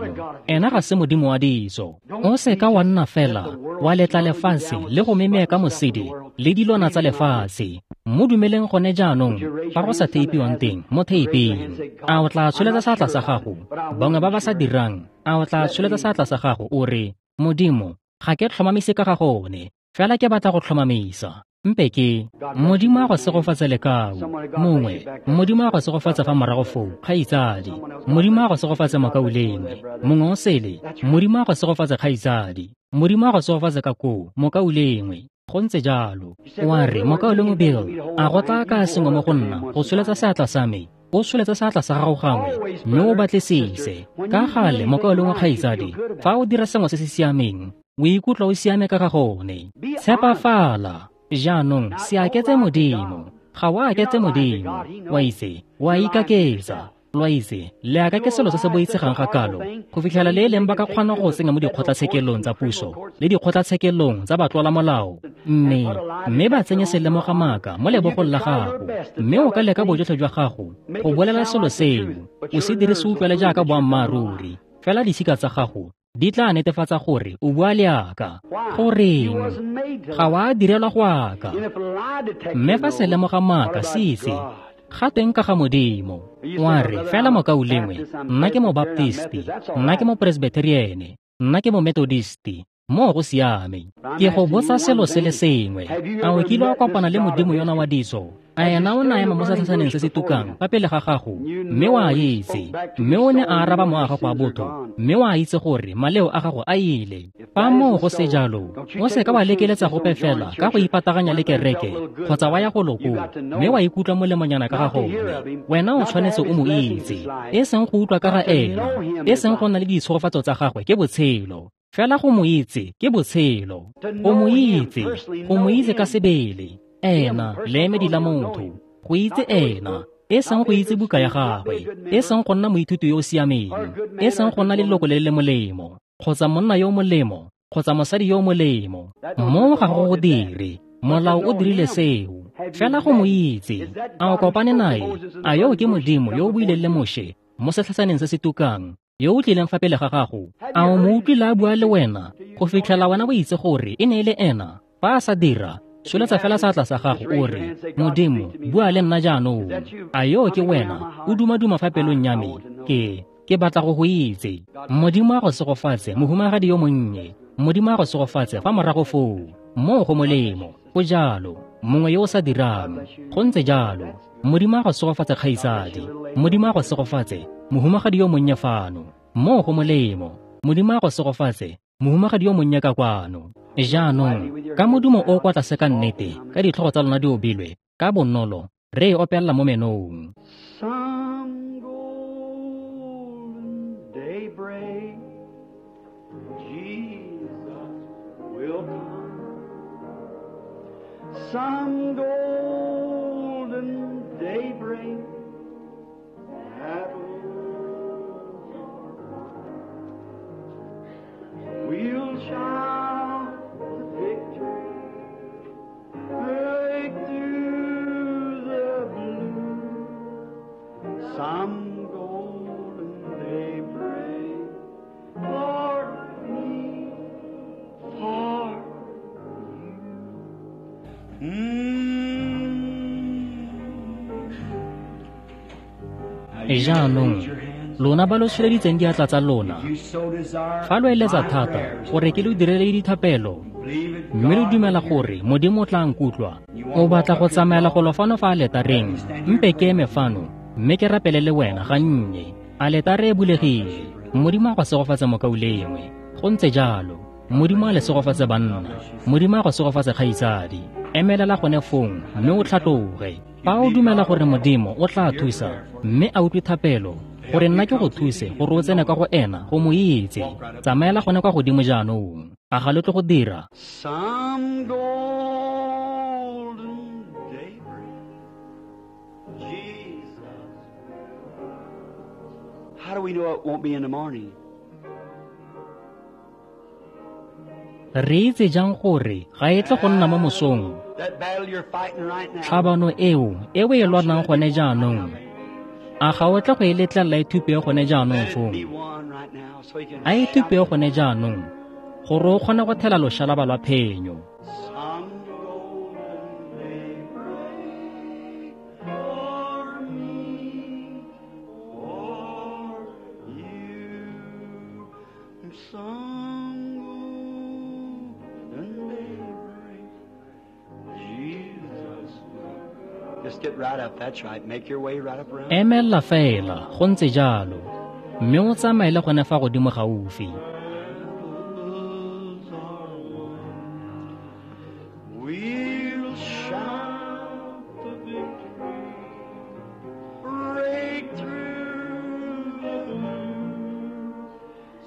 Ena ga se Modimo wa ditso. O seka wa nna fela wa letla lefatshe le go memea ka mosidi le dilwana tsa lefatshe. Mo dumeleng gone jaanong fa go sa theipiwang teng mo theiping. A o tla tsholetsa seatla sa gago? Bangwe ba ba sa dirang, a o tla tsholetsa seatla sa gago o re, Modimo, ga ke tlhomamise ka ga gone, fela ke batla go tlhomamisa. Mpe ke Modimo a go segofatse lekau mongwe. Modimo a go segofatse fa morago foo, kgaitsadi. Modimo a go segofatse mokaulengwe mongwe o sele. Modimo a go segofatse kgaitsadi. Modimo a go segofatse ka koo, mokaulengwe. Go ntse jalo. Wa re, mokaulengwe Bill, a go tla ka sengwe mo go nna go tsholetsa seatla sa me? O tsholetse seatla sa gago gangwe mme o batlisise. Ka gale, mokaulengwe kgaitsadi, fa o dira sengwe se se siameng, o ikutlwa o siame ka ga gone. Tshepafala. Jaanong se aketse Modimo. Ga o aketse Modimo. Wa itse, wa ikaketsa. Lo itse, leaka ke selo se se boitshegang ga kalo go fitlhela le e leng ba ka kgona go tsenya mo dikgotlatshekelong tsa puso le dikgotlatshekelong tsa batlolamolao, mme ba tsenye selemogamaka mo lebogong la gago, mme o ka leka bojotlhe jwa gago go bolela selo seo, o se dire se utlwele jaaka boammaaruri, fela ditshika tsa gago di tla netefatsa gore o bua leaka. Goreng? Ga wa direlwa go aka. Mme fa selemogamaka se itse, ga teng ka ga Modimo. Wa re, fela mokaulengwe, nna ke mobaptisti, nna ke mopresbitheriene, nna ke momethodisti. Moo go siame. Ke go botsa selo se le sengwe. A o kile wa kopana le Modimo yona wa ditso? A ena o ne a ema mo setlhatshaneng se se tukang fa pele ga gago, mme wa itse, mme o ne a araba mo a gago a botho, mme wa itse gore maleo a gago a ile. Fa moo go se jalo, o seka wa lekeletsa gope fela ka go ipataganya le kereke kgotsa wa ya go loko, mme wa ikutlwa molemonyana ka ga gone. Wena o tshwanetse o mo itse, e seng go utlwa ka ga ena, e seng go nna le ditshegofatso tsa gagwe ke botshelo. Fela go mo itse ke botshelo. Go mo itse, go mo itse ka sebele. Ena, leemedi la motho, go itse ena, e seng go itse buka ya gagwe, e seng go nna moithuti yo o siameng, e seng go nna leloko le le molemo, kgotsa monna yo o molemo, kgotsa mosadi yo o molemo. Moo ga go go dire. Molao o dirile seo. Fela go mo itse. A o kopane nae? A yo ke Modimo yo o buileng le Moshe mo setlhatshaneng se se tukang, yo o tlileng fa pele ga gago? A o mo utlwile a bua le wena go fitlhela wena o itse gore e ne e le ena? Fa a sa dira, tsholetsa fela seatla sa gago o re, Modimo, bua le nna jaanong. A yo ke wena o dumaduma fa pelong ya me? Ke batla go go itse. Modimo a go segofatse, mohumagadi yo monnye. Modimo a go segofatse fa morago foo. Moo go molemo. Go jalo. Mongwe yo o sa dirang. Go ntse jalo. Modimo a go segofatse kgaitsadi. Modimo a go segofatse, mohumagadi yo monnye fano. Moo go molemo. Modimo a go segofatse, mohumagadi yo monnye ka kwano. Jaanong, ka modumo o kwa tlase ka nnete, ka ditlhogo tsa lona di obilwe, ka bonolo, re e opelela mo menong. Some golden day break, Jesus will come. Some golden daybreak, we'll shout the victory, break through the blue. Some golden daybreak for me, for you. Jaanong lona ba lo tsholeditseng diatla tsa lona, fa lo eletsa thata gore ke lo direle dithapelo mme lo dumela gore Modimo o tla nkutlwa, o batla go tsamaela golo fano fa aletareng, mpe ke eme fano mme ke rapele le wena gannye. Aletare e bulegile. Modimo a go segofatse mokaulengwe. Go ntse jalo. Modimo a le segofatse banna. Modimo a go segofatse kgaitsadi. Emelela gone fong mme o tlhatloge. Fa o dumela gore Modimo o tla thusa mme a utlwe thapelo, gore nna ke go thuse gore o tsene kwa go ena go mo itse, tsamaela gone kwa godimo jaanong. A ga lo tle go dira? Some golden daybreak, Jesus. How do we know it won't be in the morning? Re itse jang gore ga e tle go nna mo mosong? That battle you're fighting right now. Tlhabano eo e o e lwanang gone jaanong, a ga o tle go e letlelela e thupe gone jaanong fong? Be won right now so you can A e thupe gone jaanong gore o kgone go thela loshalaba lwa phenyo. Some golden daybreak for me, for you. Some golden daybreak, Jesus. Just get right up. That's right. Make your way right up around. Emela fela go ntse jalo mme o tsamaele gone fa godimo gaufi. Battles are won. We'll shout the victory, break through the blue.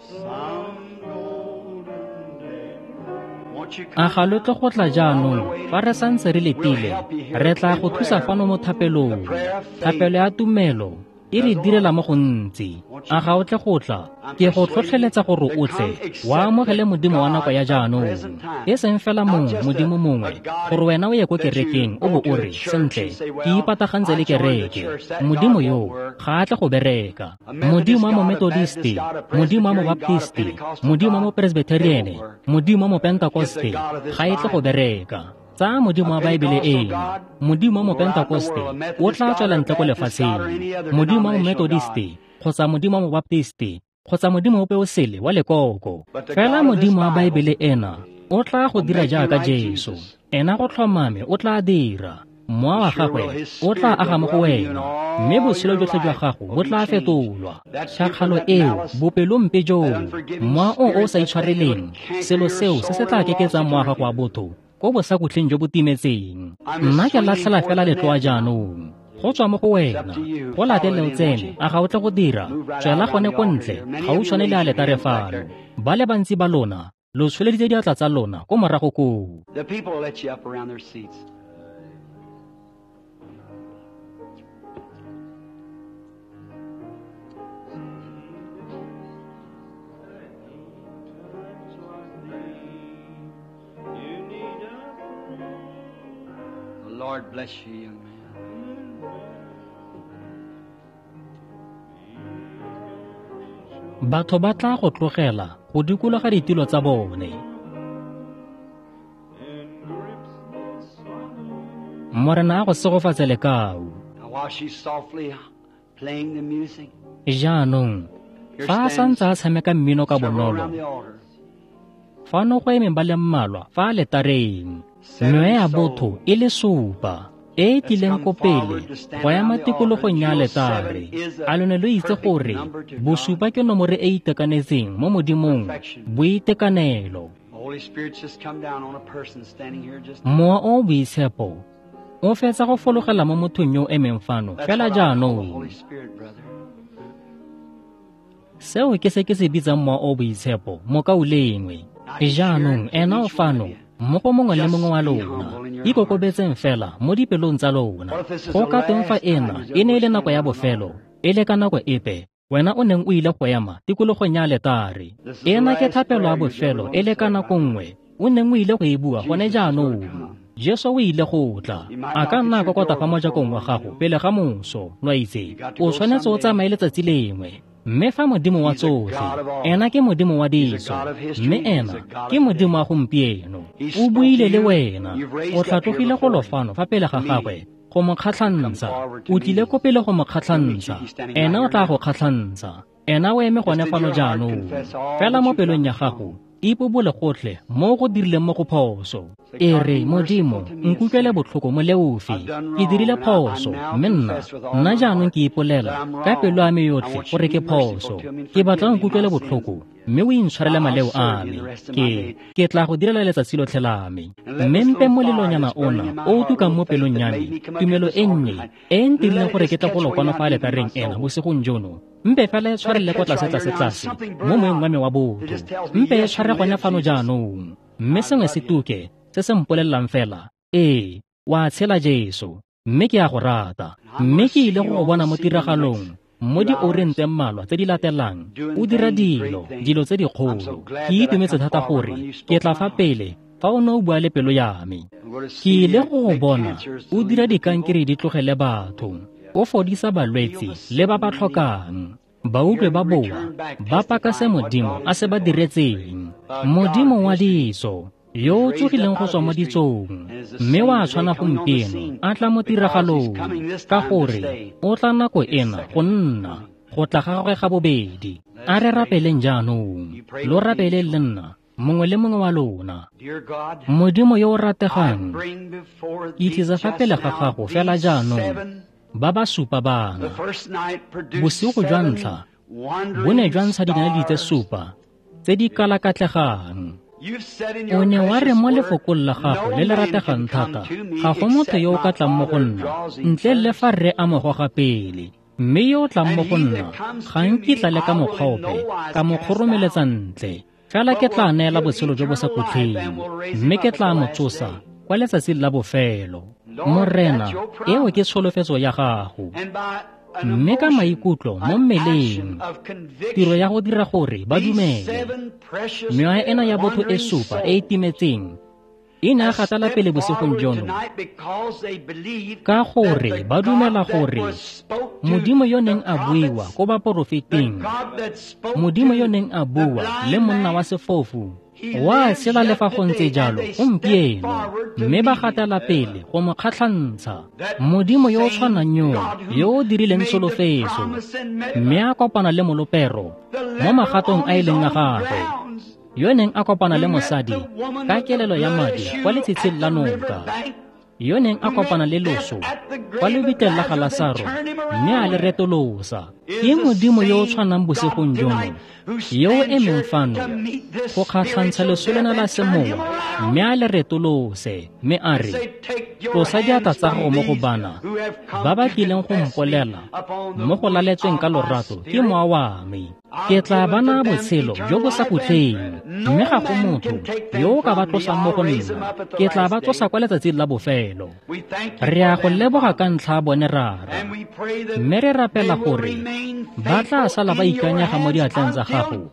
Some golden day. Won't you A come? ga lo tle go tla jaanong fa re santse re letile? Re tla go thusa fano mo thapelong. Thapelo ya tumelo e re direla mo gontsi. A ga o tle go tla? Ke go tlhotlheletsa gore o tle wa amogele Modimo wa nako ya jaanong, e seng fela mongwe Modimo mongwe gore wena o ye ko kerekeng o bo o re, sentle, ke ipatagantse le kereke. Modimo yo ga a tle go bereka. Modimo wa Mometodisti, Modimo wa Mobaptisti, Modimo wa Mopresbitheriene, Modimo wa Mopentekoste ga e tle go bereka. Tsaya Modimo wa Baebele eno. Modimo wa Mopentekoste o tla tswela ntle ko lefatsheng. Modimo wa Mometodisti kgotsa Modimo wa Mobaptisti kgotsa Modimo ope o sele wa lekoko. Fela Modimo wa Baebele ena o tla go dira jaaka Jesu. Ena go tlhomame o tla dira. Mowa wa gagwe o tla aga mo go wena, mme botshelo jotlhe jwa gago bo tla fetolwa. Tšhakgalo eo, bopelompe joo, mowa o o sa itshwareleng, selo seo se se tla keketsang mowa gago wa botho ko bosakutleng jo bo timetseng. Nna ke latlhela fela letloa jaanong. Go tswa mo go wena, go latele o tsene. A ga o tle go dira? Tswela gone ko ntle, ga o tshwane le aletare fano. Ba le bantsi ba lona lo tsholeditse diatla tsa lona ko morago koo. The people will let you up around their seats. The Lord bless you, young man. Batho ba tla go tlogela go dikologa ditilo tsa bone. Morena a go segofatse lekau. Now while she's softly playing the music, Jaanong here fa a stands santse a tshameka mmino ka several bonolo, around the altar. fano go emeng ba le mmalwa fa aletareng. Mewa ya botho e le supa e e tlileng ko pele go ema tikologong ya aletare. A lo ne lo itse gore bosupa ke nomore e e itekanetseng mo Modimong, boitekanelo. The Holy Spirit's just come down on a person standing here just Mowa o o boitshepo o fetsa go fologela mo mothong yo o emeng fano That's fela what I call the jaanong. Holy Spirit, brother. Seo ke se ke se bitsang mowa o boitshepo, mokaulengwe. Jaanong ena o fano Mo go mongwe le mongwe wa lona, ikokobetseng fela mo dipelong tsa lona. Go ka teng fa ena e ne e le nako ya bofelo, e le ka nako epe wena o neng o ile go ema tikologong ya aletare. Ena ke thapelo ya bofelo e le ka nako nngwe o neng o ile go e bua gone jaanong. Jesu o ile go tla. A ka nna a kokota fa mojakong wa gago pele ga moso, lo a itse. O tshwanetse o tsamaye letsatsi lengwe. Mme fa Modimo wa tsotlhe, ena ke Modimo wa ditso, mme ena ke Modimo wa gompieno. O buile le wena, o tlhatlogile golo fano fa pele ga gagwe go mo kgatlhantsha. O tlile ko pele go mo kgatlhantsha, ena o tla go kgatlhantsha. Ena o eme gone fano jaanong. Fela mo pelong ya gago, ipobole gotlhe mo go dirileng mo go phoso. E re, Modimo, nkutlwele botlhoko moleofi. Ke dirile phoso, mme nna jaanong ke ipolela ka pelo ya me yotlhe gore ke phoso. Ke batla nkutlwele botlhoko, mme o intshwarele maleo a me. Ke tla go direla letsatsi lotlhe la me. Mme mpe molelonyana ona o o tukang mo pelong ya me, tumelo e nnye e ntirileng gore ke tle go kwano fa aletareng ena bosigong jono, mpe fela e tshwarele kwa tlase-tlase-tlase mo moeng wa me wa botho. Mpe e tshware gone fano jaanong, mme sengwe se tuke se se mpolelelang fela, ee, wa tshela Jesu, mme ke a go rata. Mme ke ile go go bona mo tiragalong mo dioureng tse mmalwa tse di latelang, o dira dilo tse dikgolo. Ke itumetse thata gore ke tla fa pele fa o ne o bua le pelo ya me. Ke ile go go bona o dira dikankere di tlogele batho, o fodisa balwetse le ba ba tlhokang, ba utlwe ba boa ba paka se Modimo a se ba diretseng. Modimo wa ditso yo o tsogileng go tswa mo ditsong, mme wa tshwana gompieno a tla mo tiragalong, ka gore o tla nako ena go nna go tla ga gagwe ga bobedi. A re rapeleng jaanong, lo rapeleng le nna, mongwe le mongwe wa lona. Modimo yo o rategang, ke tlisa fa pele ga gago fela jaanong ba ba supa bana. Bosigo jwa ntlha bo ne jwa ntsha dinaledi tse supa tse di kalakatlegang. O ne wa re mo lefokong la gago le le rategang thata, ga go motho yo o ka tlang mo go nna ntle le fa rre a mo goga pele. Mme yo o tlang mo go nna ga nkitla le ka mokgwa ope ka mo kgoromeletsa ntle. Fela ke tla neela botshelo jo bo sa khutleng, mme ke tla mo tsosa kwa letsatsing la bofelo. Morena, eo ke tsholofetso ya gago. Mme ka maikutlo mo mmeleng, tiro ya go dira gore ba dumele, mewa ena ya botho e supa e e timetseng e ne a gatela pele bosigong jono, ka gore ba dumela gore Modimo yo neng a buiwa ko baporofeteng, Modimo yo neng a bua le monna wa sefofu, wa tshela le fa go ntse jalo gompieno, mme ba gatela pele go mo kgatlhantsha. Modimo yo o tshwanang yo o dirileng tsholofetso, mme a kopana le molopero mo magatong a e leng a gagwe, yo neng a kopana le mosadi ka kelelo ya madi kwa letshitshing la noka, yo neng a kopana le loso kwa lebitleng la ga Lasaro mme a le retolosa. Ke Modimo yo o tshwanang bosigong jono, yo o emeng fano go kgatlhantsha leso lena la semowa mme a le retolose, mme a re, tlosa diatla tsa gago mo go bana ba ba tlileng go mpolela mo go laletsweng ka lorato ke mowa wa me. Ke tla ba naya botshelo jo bo sa khutleng, mme ga go motho yo o ka ba tlosang mo go nna. Ke tla ba tlosa kwa letsatsing la bofelo. Re a go leboga ka ntlha ya bone, Rara, mme re rapela gore ba tla sala ba ikanyega mo diatleng tsa gago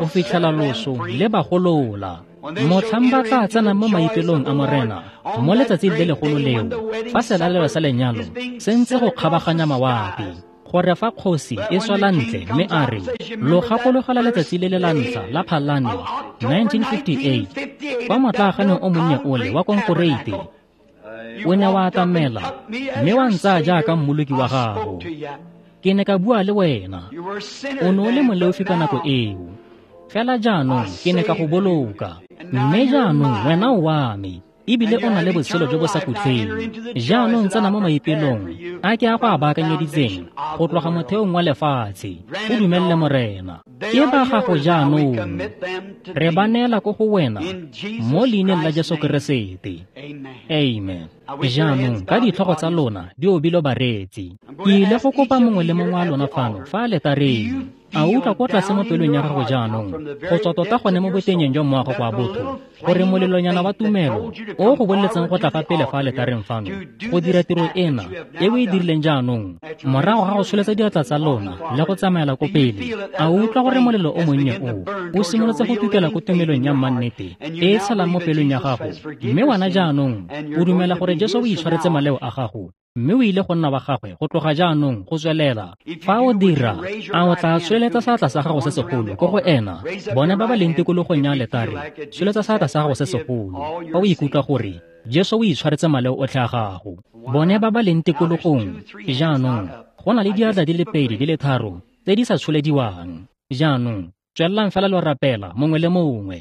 go fitlhela loso le ba golola. Motlhang ba tla tsena mo maipelong a Morena mo letsatsing le legolo leo, fa selalelo sa lenyalo se ntse go kgabaganya mawapi, gore fa kgosi e swela ntle mme a re, lo gakologela letsatsi le le la ntlha la Phalane 1958 kwa motlaaganeng o monnye ole wa konkoreite, o ne wa atamela mme wa ntsaya jaaka mmoloki wa gago. Ke ne ka bua le wena, o ne o le moleofi ka nako eo, fela jaanong ke ne ka go boloka, mme jaanong wena o wa me, ebile o na le botshelo jo bo sa khutleng. Jaanong tsena mo maipelong a ke a go a baakanyeditseng go tloga motheong wa lefatshe. O dumelle Morena. Ke ba gago jaanong, re ba neela ko go wena mo leineng la Jesu Keresete. Amen. Jaanong ka ditlhogo tsa lona di obile bareetsi, ke ile go kopa mongwe le mongwe wa lona fano fa aletareng. A o utlwa kwa tlase mo pelong ya gago jaanong, go tswa tota gone mo botengeng jwa moago kwa botho, gore molelonyana wa tumelo o go boleletseng go tla fa pele fa aletareng fano, go dira tiro ena e o e dirileng jaanong, morago ga go tsholetsa diatla tsa lona le go tsamaela ko pele, a o utlwa gore molelo o monnye o o simolotse go tukela ko tumelong ya mmannete e e tshelang mo pelong ya gago, mme wena jaanong o dumela gore Jesu o itshwaretse maleo a gago, mme o ile go nna wa gagwe go tloga jaanong go tswelela. Fa o dira, a o tla tsholetsa seatla sa gago se segolo ko go ena? Bone ba ba leng tikologong ya aletare, tsholetsa seatla sa gago se segolo fa o ikutlwa gore Jesu o itshwaretse maleo otlhe a gago. Bone ba ba leng tikologong jaanong, go na le diatla di le pedi di le tharo tse di sa tsholediwang. Jaanong tswelelang fela lo rapela mongwe le mongwe.